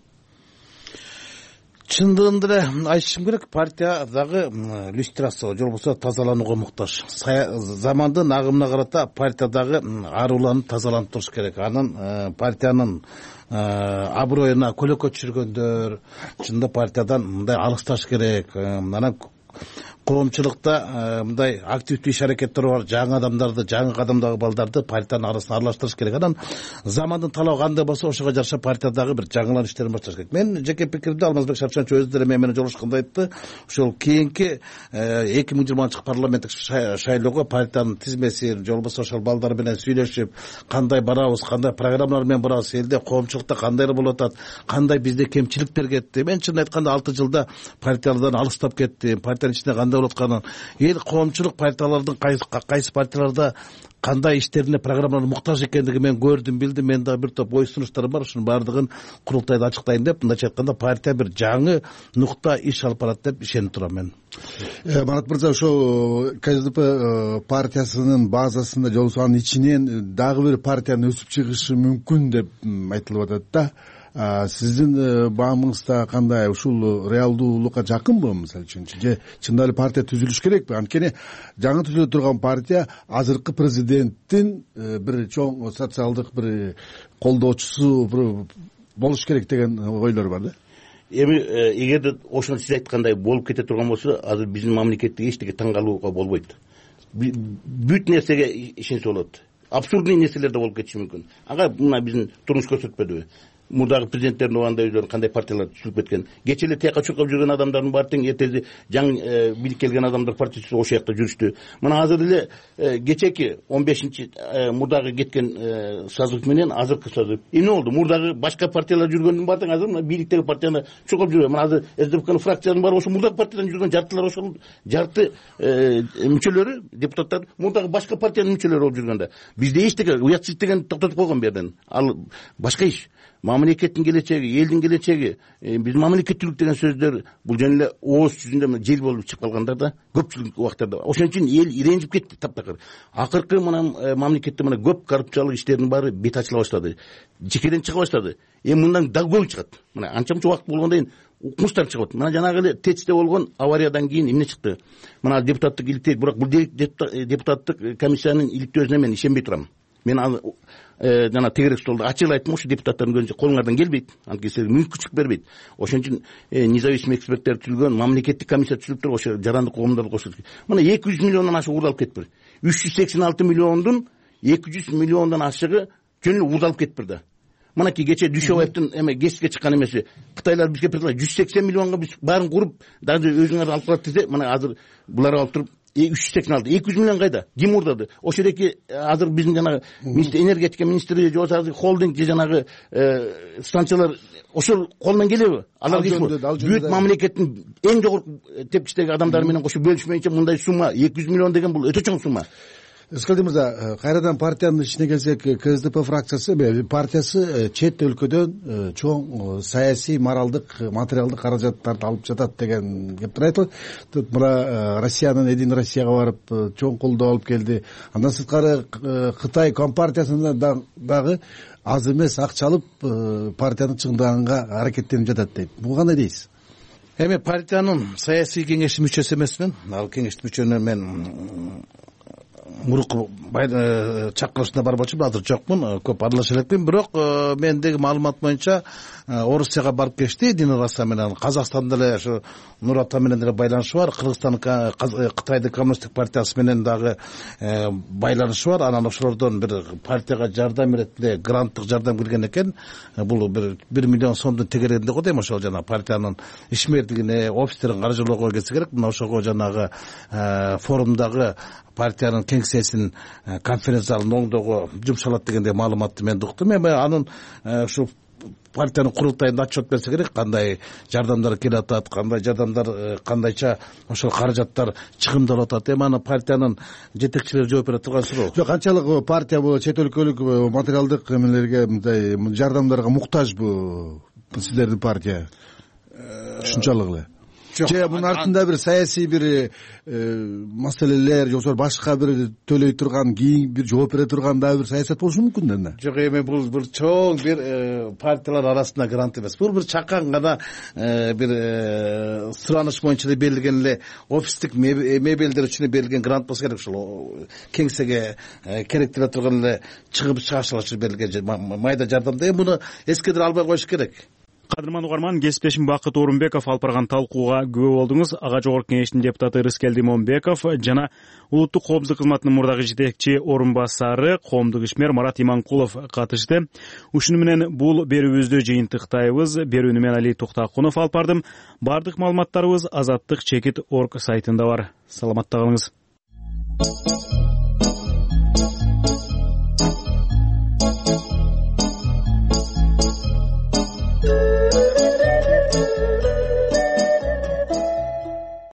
Чындыгында эле айтышым керек, партия дагы люстрация, же болбосо тазаланууга муктаж. Замандын агымына карата партия дагы аруланып тазаланып туруш керек. Анын партиянын аброюна көлөкө түшүргөндөр чынында партиядан мындай алысташ керек. Анан коомчулукта мындай активдүү иш аракеттер бар, жаңы адамдарды, жаңы кадамдагы балдарды партиянын арасына аралаштырыш керек. Анан замандын талабы кандай болсо ошого жараша партиядагы бир жаңылан иштерин башташ керек. Мен жеке пикиримде Алмазбек Шапшанович өзү деле менен жолугушканда айтты, ошол кийинки эки миң жыйырманчы жылкы парламенттик шайлоого партиянын тизмесин, же болбосо ошол балдар менен сүйлөшүп, кандай барабыз, кандай программалар менен барабыз, элде коомчулукта кандайлар болуп атат, кандай бизде кемчиликтер кетти. Мен чын айтканда алты жылда партиялардан алыстап кеттим. Партиянын ичинде кандай болуп атканын, эл коомчулук партиялардын кайсы партияларда кандай иштерине, программаларына муктаж экендигин мен көрдүм, билдим. Мен дагы бир топ ой сунуштарым бар, ушунун баардыгын курултайда ачыктайын деп, мындайча айтканда партия бир жаңы нукта иш алып барат деп ишенип турам мен. Марат мырза, ошо КСДП партиясынын базасында же болбосо анын ичинен дагы бир партиянын өсүп чыгышы мүмкүн деп айтылып атат да. Сиздин баамыңызда кандай, ушул реалдуулукка жакынбы мисалы үчүн? Же чындап эле партия түзүлүш керекпи? Анткени жаңы түзүлө турган партия азыркы президенттин бир чоң социалдык бир колдоочусу болуш керек деген ойлор бар да. Эми эгерде ошону сиз айткандай болуп кете турган болсо, азыр биздин мамлекетте эчтеке таң калууга болбойт. Бүт нерсеге ишенсе болот. Абсурдный нерселер да болуп кетиши мүмкүн. Ага мына биздин турмуш көрсөтпөдүбү? Мурдагы президенттердин убагында өздөрү кандай партиялар түзүлүп кеткен. Кече эле тияка чуркап жүргөн адамдардын баары тең эртеси жаңы бийлик келген адамдар партиясы ошол жакта жүрүштү. Мына азыр эле кечеки он бешинчи мурдагы кеткен созыв менен азыркы созыв эмне болду? Мурдагы башка партиялар жүргөндүн баары тең азыр мына бийликтеги партияны чуркап жүрөт. Мына азыр СДПКнын фракциянын баары ошо мурдагы партиядан жүргөн, жартылар ошол жарты мүчөлөрү, депутаттар мурдагы башка партиянын мүчөлөрү болуп жүргөндө. Бизде эчтеке уятсыз деген токтотуп койгон берден. Ал башка иш. Мамлекеттин келечеги, элдин келечеги, биз мамлекеттүүлүк деген сөздөр бул жөн эле ооз жүзүндө жел болуп чыгып калгандар да, көпчүлүк убактарда. Ошон үчүн эл иренжип кетти таптакыр. Акыркы мына мамлекетте мына көп коррупциялык иштердин баары бет ачыла баштады. Жекеден чыга баштады. Эми мындан дагы көбү чыгат. Мына анча мынча убакыт болгондон кийин укмуштар чыгат. Мына жанагы эле ТЭЦте болгон авариядан кийин эмне чыкты? Мына депутаттык иликтөө, бирок бул депутаттык комиссиянын иликтөөсүнө мен ишенбей турам. Мен аны жана тегерек столдо ачык айттым, ошо депутаттардын көзүнчө колуңардан келбейт, анткени силерге мүмкүнчүлүк бербейт. Ошон үчүн независимый эксперттер түзүлгөн, мамлекеттик комиссия түзүлүп туруп, ошо жарандык коомдорду кошулуп. Мына эки жүз миллиондон ашык уурдалып кетиптир. үч жүз сексен алты миллиондун эки жүз миллиондон ашыгы жөн эле уурдалып кетиптир да. Мынакей кече Дүйшөбаевдин эме гезитке чыккан эмеси, Кытайлар бизге предложение жүз сексен миллионго биз баарын куруп, даже өзүңөр алып барат десе, мына азыр булар алып туруп үч жүз сексен алты, эки жүз миллион кайда? Ким уурдады? Ошол эки азыр биздин жанагы энергетика министри же болбосо холдинг же жанагы станциялар ошол колунан келеби? Алар бүт мамлекеттин эң жогорку тепкичтеги адамдары менен кошо бөлүшмөйүнчө мындай сумма эки жүз миллион деген бул өтө чоң сумма. Рыскелди мырза, кайрадан партиянын ичине келсек, КСДП фракциясы партиясы чет өлкөдөн чоң саясий, моралдык, материалдык каражаттарды алып жатат деген кептер айтылат. Мына Россиянын Эдин Россияга барып чоң колдоо алып келди. Андан сырткары Кытай компартиясында дагы аз эмес акча алып партияны чыңдаганга аракеттенип жатат дейт. Буга кандай дейсиз? Эми партиянын саясий кеңештин мүчөсү эмесмин. Ал кеңештин мүчөнү мен мурукку чакырышына барбачумун, азыр жокмун, көп аралаша элекмин. Бирок мендеги маалымат боюнча Орусияга барып кечти, Эдин Россия менен. Казакстанда эле ошо Нур Ата менен деле байланышы бар. Кыргызстан, Кытайдын коммунисттик партиясы менен дагы байланышы бар. Анан ошолордон бир партияга жардам иретинде гранттык жардам келген экен. Бул бир бир миллион сомдун тегерегинде го дейм, ошол жана партиянын ишмердигине, офистерин каржылоого келсе керек. Мына ошого жанагы форумдагы партиянын кеңсесин конференц залын оңдоого жумшалат дегендей маалыматты мен уктум. Эми анын ушу партиянын курултайында отчет берсе керек, кандай жардамдар келип атат, кандай жардамдар, кандайча ошол каражаттар чыгымдалып атат. Эми аны партиянын жетекчилери жооп бере турган суроо. Жок, канчалык партия бул чет өлкөлүк материалдык эмелерге, мындай жардамдарга муктажбы сиздердин партия? Ушунчалык эле же мунун артында бир саясий бир маселелер же болбосо башка бир төлөй турган, кийин бир жооп бере турган дагы бир саясат болушу мүмкүн да? Жок, эми бул бир чоң бир партиялар арасында грант эмес. Бул бир чакан гана бир сураныш боюнча эле берилген эле офистик мебелдер үчүн берилген грант болсо керек. Ушул кеңсеге керектеле турган эле чыгып чыгашчылар үчүн берилген майда жардамда. Эми муну эскедире албай коюш керек. Кадырман угарман, кесиптешим Бакыт Орунбеков алып барган талкууга күбө болдуңуз. Ага жогорку кеңештин депутаты Рыскелди Момбеков жана улуттук коопсуздук кызматынын мурдагы жетекчи орун басары коомдук ишмер Марат Иманкулов катышты. Ушуну менен бул берүүбүздү жыйынтыктайбыз. Берүүнү мен Али Токтакунов алып бардым. Бардык маалыматтарыбыз азаттык чекит точка орг сайтында бар. Саламатта калыңыз.